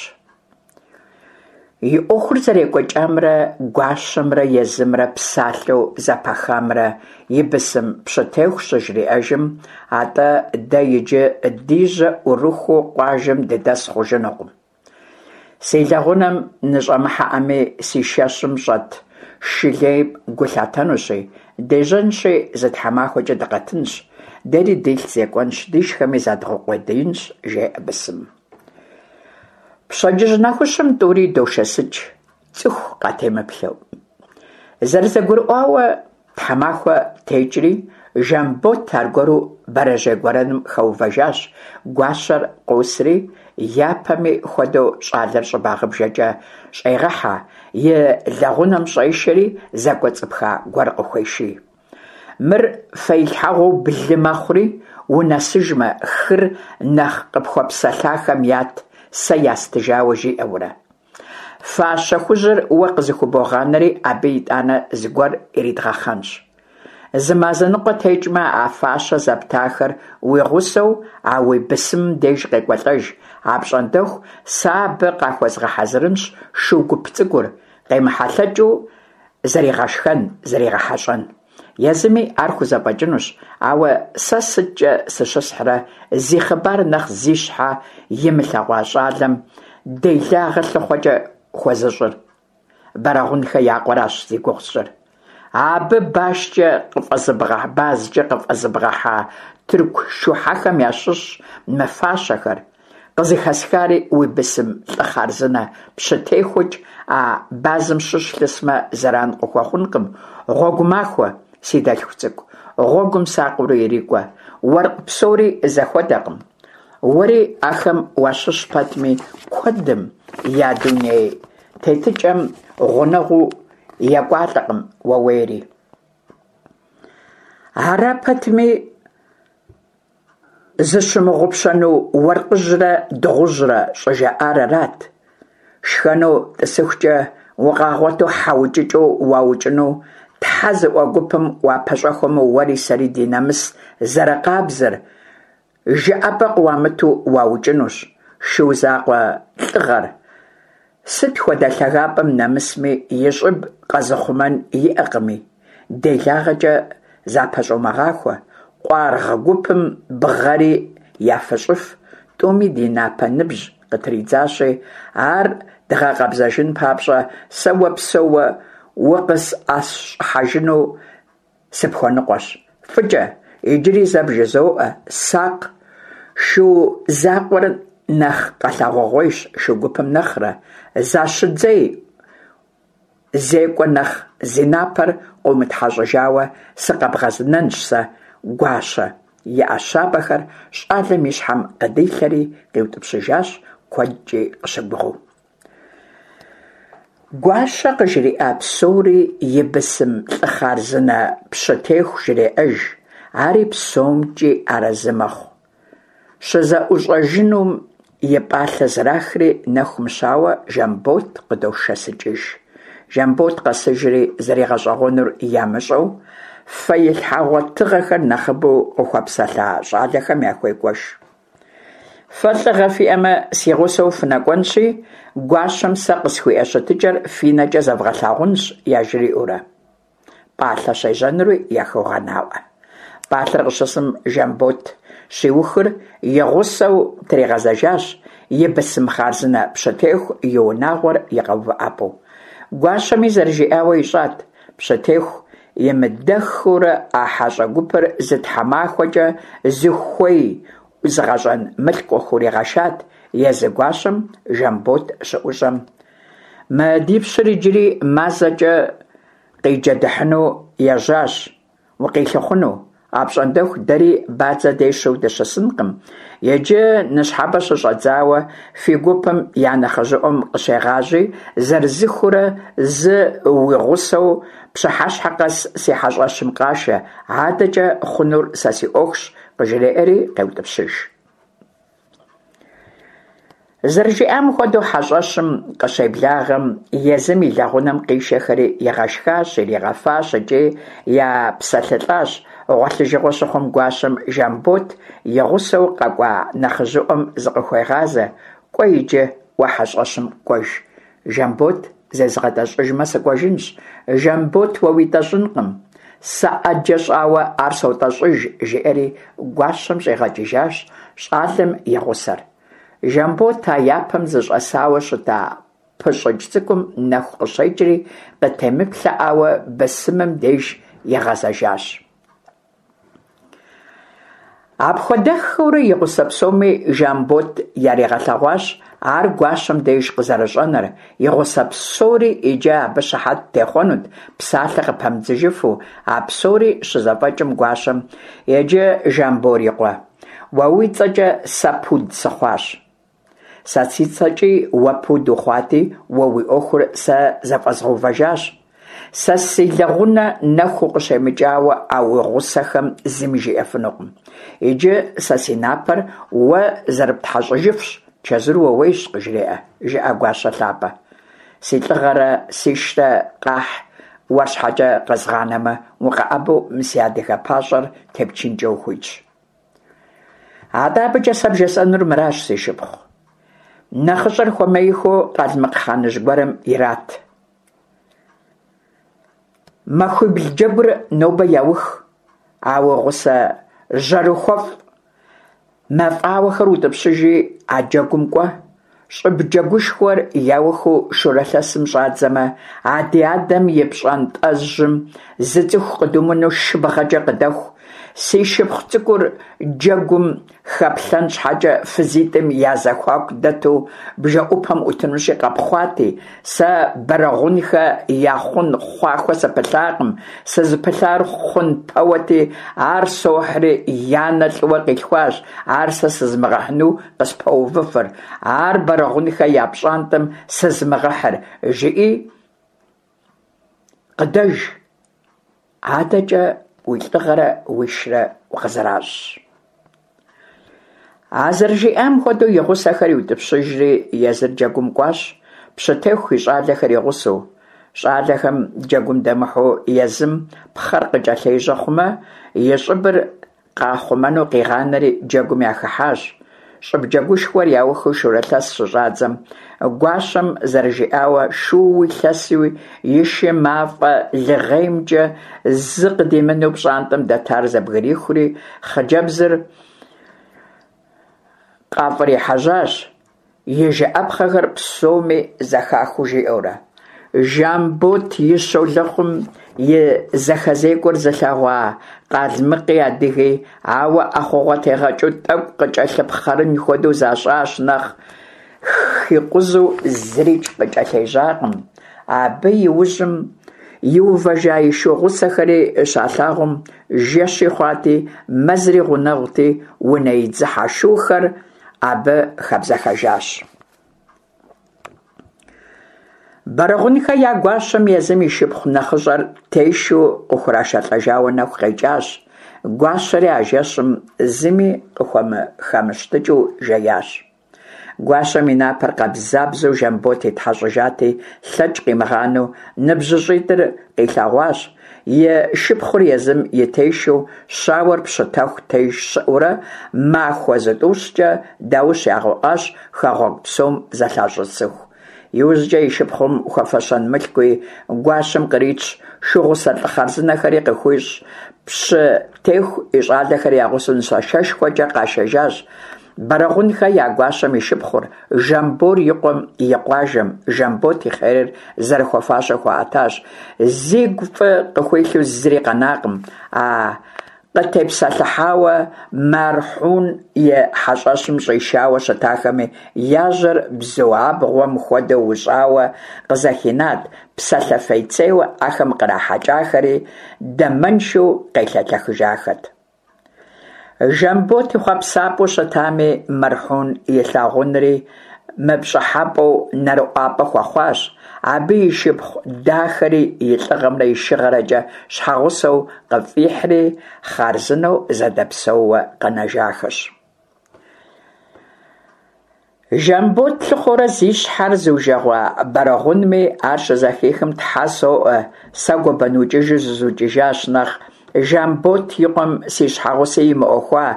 И Ӏуэхур зэрекӀуэкӀамрэ гуащэмрэ езымрэ псалъэу зэпахамрэ и бысым пщытеху щыжриӀэжым: «АтӀэ дэ иджы ди жьэ Ӏурыхуу къуажэм дыдэс хъужынукъым. Си лэгъунэм ныщӀэмыхьэӀэми, си шэщым щӀэт шы лейм гу лъатэнущи, дежьэнщи зы тхьэмахуэкӀэ дыкъэтынщ, дэри дилъ зекӀуэнщ, дишхэми задгъэукъуэдиинщ», – жеӀэ бысымым. Пщэдджыжь нэхущым тӀури дошэсыкӀ, цӀыху къатемыплъэу. ЗэрызэгурыӀуауэ, тхьэмахуэ текӀри, Жамбот аргуэру бэрэжьей гуэрэным хэувэжащ. Гуащэр къосри, япэми хуэдэу, щӀалэр щӀыбагъыбжэкӀэ щӀегъэхьэ, и лэгъунэм щӀешэри, зэкӀуэцӀыпха гуэр къыхуеший. Мыр фэилъхьэгъуэу блы мэхъури, унэсыжмэ, хыр нэхъ къыпхуэпсэлъахэм ят, сэ ястыжауэ жиӀэурэ. Фащэ хужьыр уэ къызыхубогъанэри, абы итӀанэ зыгуэр иридгъэхъэнщ. Зы мазэ ныкъуэ текӀмэ, а фащэ зэптахэр уи гъусэу а уи бысымым деж къекӀуэлӀэж, апщӀондэху сэ абы къахуэзгъэхьэзырынщ шу гуп цӀыкӀур, къемыхьэлъэкӀыу зэригъэшхэн, зэригъэхьэщӀэн. Езыми ар хузэфӀэкӀынущ, ауэ сэ сыткӀэ сыщысхьрэ зи хъыбар нэхъ зи щхьэ имылъэгъуа щӀалэм делагъэ лъыхъуэкӀэ хуэзыщӀыр? Бэрэгъунхэ я къуэращ зи гугъу сщӀыр. Абы башкӀэ базкӀэ къыфӀэзыбгъэхьа тырку шухьэхэм ящыщщ мы фащэхэр. Къызыхэсхари уи бысым лӀы хъарзынэ пщытехукӀ а базым щыщ лъысмэ, зэран къыхуэхъункъым. Гъуэгу махуэ, си дэлъху цӀыкӀу, гъуэгум сакъыурэ ирикӀуэ. Уэркъ псори зэхуэдэкъым. Уэри ахэм уащыщ пэтми, куэдым я дуней тетыкӀэм гъунэгъуу екӀуалӀэкъым ууейри. Ара пэтми, зыщымыгъупщэну уэркъыжьрэ дыгъужьрэ щӀыжаӀар арат. Шхэну тӀысыхукӀэ укъагъуэту хьэ укӀыкӀэу уаукӀыну тхьэ зыӀуэ гупым уапэщӀэхуэмэ, уэри сэри ди нэмыс зэрыкъабзэр жыӀэпӀэ къыуамыту уаукӀынущ. Шу закъуэ лӀыгъэр сыт хуэдэ лъагапӀэм нэмысми, и щӀыб къэзыхъумэн иӀэкъыми, делагъэкӀэ запэщӀумыгъахуэ. Къуаргъ гупым бгъэри яфыщӀыф, тӀуми ди напэ ныбжь къытридзащи, ар дгъэкъэбзэжын папщӀэ, сэ уэ псэууэ укъысӀэщӀыхьэжыну сыпхуэныкъуэщ. ФӀыкӀэ, иджыри зэ бжызоӀэ, сакъ, шу закъуэр нэхъ къэлъагъугъуейщ шу гупым нэхърэ. Защыдзей, зекӀуэ нэхъ зи напэр къыумытхьэщӀыжауэ сыкъэбгъэнэнщ сэ, гуащэ, и Ӏэ щабэхэр щӀалэм и щхьэм къыдилъэри къиутӀыпщыжащ, куэдкӀи къыщыгугъыу. Гуащэ къыжриӀа псори и бысым лӀы хъарзынэ пщытеху жреӀэж, ари псомкӀи арэзы мэхъу. ЩызэӀущӀэжынум и пӀалъэ зэрахри, нэху мыщауэ Жамбот къыдошэсыкӀыж. Жамбот къэсыжри, зэригъэщӀэгъуэнур ямыщӀэу, фэилъхьэгъуэ тыгъэхэр нэхъыбэу къыхуэпсэлъа щӀалэхэм яхуегуэш. Фэ лӀыгъэ фиӀэмэ, си гъусэу фынэкӀуэнщи, гуащэм сэ къысхуиӀэ щытыкӀэр фи нэкӀэ зэвгъэлъагъунщ, яжриӀэурэ. ПӀалъэ щежьэнури яхуегъэнаӀуэ. ПӀалъэр къыщысым, Жамбот щиухыр и гъусэу тригъэзэжащ, и бысым хъарзынэ пщытеху и унагъуэр и къэувыӀэпӀэу. Гуащэми зэрыжиӀауэ ищӀат. Пщытеху имыдэххэурэ а хьэщӀэ гупыр зы тхьэмахуэкӀэ зыхуей ӏузыгъэщӏэн мылъку къыхуригъэшат. Езы гуащэм Жамбот щыӏущӏэм: «Мы ди пщыр иджыри мазэкӏэ къиджэдыхьыну ежьащ, укъилъыхъуэну. Апщӏондэху дэри бадзэ дещэу дыщысынкъым. Иджы ныщхьэбэ щыщӏэдзауэ фи гупым я нэхъыжьыӏуэм къыщегъажьи, зырызыххэурэ зы уи гъусэу пщыхьэщхьэ къэс си хьэщӏэщым къашэ, адэкӏэ хъунур сэ си ӏуэхущ», къыжреӏэри къеутӏыпщыж. Зэрыжиӏам хуэдэу, хьэщӏэщым къыщеблагъэм, езым и лэгъунэм къишэхэри игъэшхащ, иригъэфащ икӏи епсэлъылӏащ. Гъуэлъыжыгъуэ щыхъум, гуащэм Жамбот и гъусэу къэкӏуа нэхъыжьыӏуэм зыкъыхуегъазэ: «Кӏуэ иджы, уэ хьэщӏэщым кӏуэж, Жамбот зезгъэтӏэщӏыжмэ, сыкӏуэжынщ». «Жамбот уэ уитӏэщӏынкъым, сэ ӏэджэ щӏауэ ар сотӏэщӏыж», жиӏэри гуащэм щӏигъэкӏыжащ щӏалэм и гъусэр. Жамбот а япэм зыщӏэсауэ щыта пыщӏыкӏ цӏыкӏум нэху къыщекӏри, къытемыплъэӏауэ бысымым деж игъэзэжащ. Апхуэдэххэурэ и гъусэ псоми Жамбот яригъэлъэгъуащ ар гуащэм деж къызэрыщӏэнэр, и гъусэ псори иджы абы щыхьэт техъуэнут, псалъэ къыпамыдзыжыфу. А псори щызэфӏэкӏым гуащэм: «Иджы, Жамбор и къуэ, уэ уи цӏэкӏэ сэ пуд сыхъуащ. Сэ си цӏэкӏи уэ пуд ухъуати, уэ уи ӏуэхур сэ зэфӏэзгъэувэжащ. Сэ си лэгъунэ нэху укъыщемыкӏауэ а уи гъусэхэм зыми жиӏэфынукъым. Иджы сэ си напэр уэ зэрыптхьэщӏыжыфщ, чэзур ууейщ», къыжреӏэ. «Жыӏэ, гуащэ лъапӏэ, си лӏыгъэрэ сишрэ къахь уэр щхьэкӏэ къэзгъанэмэ, укъэӏэбэу мы си адыгэ пащӏэр тепчынкӏэ ухуитщ. Атӏэ абыкӏэ сэ бжесӏэнур мыращ, си шыпхъу. Нэхъыщӏэр хуэмеихыу къалмыкъ хъаныжь гуэрым ират. Махуибл джэгур нобэ яух, а уи гъусэ жьэрыхуэфӏ мафӏауэхэр утӏыпщыжи, а джэгум кӏуэ. Щӏыб джэгушхуэр яухыу шурылъэсым щӏадзэмэ, а ди адэм и пщӏантӏэжьым зы цӏыху къыдумыну шыбгъэкӏэ къыдэху. Си шыпхъу цӏыкӏур джэгум хэплъэн щхьэкӏэ фызитӏым я зэхуаку дэту бжэӏупэм ӏутынущи къэпхъуати, сэ Бэрэгъунхэ я хъун хъуахуэ сыпылъакъым, сызыпылъар хъун пэуэти, ар сохьри янэ лӏыуэ къилъхуащ, ар сэ сызмыгъэхьыну къыспэувыфыр, ар Бэрэгъунхэ я пщӏантӏэм сызмыгъэхьыр, жыӏи къыдэж, адэкӏэ уи лӏыгъэрэ уишрэ укъызэращӏщ». А зэрыжиӏам хуэдэу и гъусэхэр иутӏыпщыжри, езыр джэгум кӏуащ, пщытеху и щӏалэхэр и гъусэу. Щӏалэхэм джэгум дэмыхьэу езым пхъэр къыкӏэлъежьэ хъумэ, и щӏыбыр къахъумэну къигъанэри джэгум яхыхьащ. Щӏыб джэгушхуэр яухыу шурылъэс щыщӏадзэм, гуащэм зэрыжиӏауэ, шууи лъэсуи и шы мафӏэ лыгъеймкӏэ зы къыдимыну пщӏантӏэм дэтар зэбгрихури, хъыджэбзыр къафӏрихьэжьащ, и жыӏэпхъэхэр псоми зэхахыу жиӏэурэ. Жамбот и щолэхъум и зэхэзекӏуэр зылъэгъуа къалмыкъи адыги, ауэ ӏэхъуэгъуэ тегъэкӏыу тӏэкӏу къыкӏэлъыпхъэрын хуэдэу защӏащ нэхъ, хикъузэу зырикӏ къыкӏэлъежьакъым. Абы и ужьым иувэжа и шу гъусэхэри щалъагъум, жэщи хъуати, мэзри гъунэгъути, унэидзыхьэ шухэр абы хэбзэхэжащ. Бэрэгъунхэ я гуащэм езым и шыпхъу нэхъыщӏэр тешу къыхурашэлӏэжауэ нэху къекӏащ. Гуащэри а жэщым зыми къыхуэмыхэмыщтыкӏыу жеящ. Гуащэм и напэр къабзабзэу Жамбот итхьэщӏыжати, лъэкӏ къимыгъанэу ныбжьыщӏитӏыр къилъэгъуащ. И шыпхъур езым и тешэу, щауэр пщытэху теж щыӏэурэ, махуэ зытӏущкӏэ даущ ягъэӏуащ хэгъуэгу псом зэлъащӏысыху. Иужькӏэ и шыпхъум хуэфэщэн мылъкуи гуащэм къритщ, шугъусэ лӏы хъарзынэхэри къыхуищӏщ, пщытеху и щӏалэхэр я гъусэу нысашэшхуэкӏэ къашэжащ. Бэрэгъунхэ я гуащэм и шыпхъур Жамбор и къуэм и къуажэм Жамбот и хъерыр зэрыхуэфащэу хуаӏэтащ. Зигу фӏы къыхуилъу зыри къэнакъым а къытепсэлъыхьауэ Мэрхьун и хьэщӏэщым щӏишауэ щытахэми я жьэр бзу абгъуэм хуэдэу ущӏауэ къызэхинат, псалъэ фейцейуэ ахэм кърахьэкӏахэри дамэншэу къелъэлъэхыжахэт. Жамбот и хъуэпсапӏэу щытами Мэрхьун илъагъунри мыпщӏыхьэпӏэу нэрыӏуапӏэ хуэхъуащ, абы и шыпхъу дахэри и лӏыгъэмрэ и шыгъэрэкӏэ щхьэгъусэу къыфӏихьри хъарзынэу зэдэпсэууэ къэнэжахэщ. Жамбот лъыхъуэурэ зи щхьэр зыужэгъуа Бэрэгъунми ар щызэхихым, «Тхьэ соӏуэ, сэ гуэбэнукӏыжу зызукӏыжащ нэхъ, Жамбот и къуэм си щхьэгъусэ имыӏуэхуа,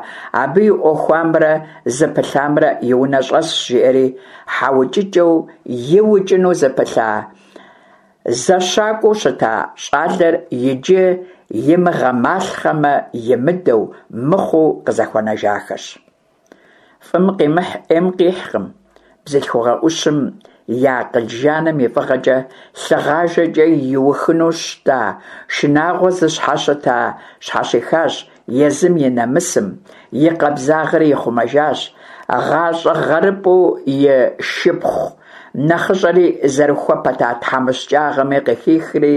абы и ӏуэхуамрэ зыпылъамрэ и унэ щӏэсщ», жиӏэри хьэукӏыкӏэу иукӏыну зыпылъа зэщакӏуэу щыта щӏалэр иджы имыгъэмалъхъэмэ имыдэу, мыхъуу къызэхуэнэжахэщ. Фӏым къимыхь ӏейм къихькъым. Бзылъхугъэ ӏущым и акъыл жаным и фӏыгъэкӏэ лъыгъажэкӏэ иухыну щыта шынагъуэ зыщхьэщыта щхьэщихащ, езым и нэмысым, и къабзагъэри ихъумэжащ, гъащӏэ гъэрыпӏэу и шыпхъу нэхъыщӏэри зэрыхуэ пэта тхьэмыщкӏагъэми къыхихри,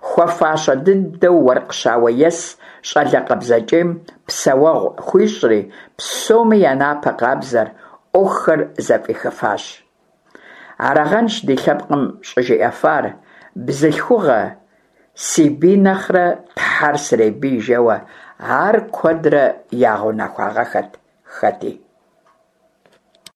хуэфащэ дыдэу уэркъ щауэес щӏалэ къабзэкӏейм псэуэгъу хуищӏри, псоми я напэ къабзэр, ӏуэхухэр зэфӏихыфащ. Арагъэнщ ди лъэпкъым щӏыжиӏэфар: «Бзылъхугъэ си бий нэхърэ Тхьэр сребий» жэуэ, ар куэдрэ ягъэунэхуагъэххэт хэти.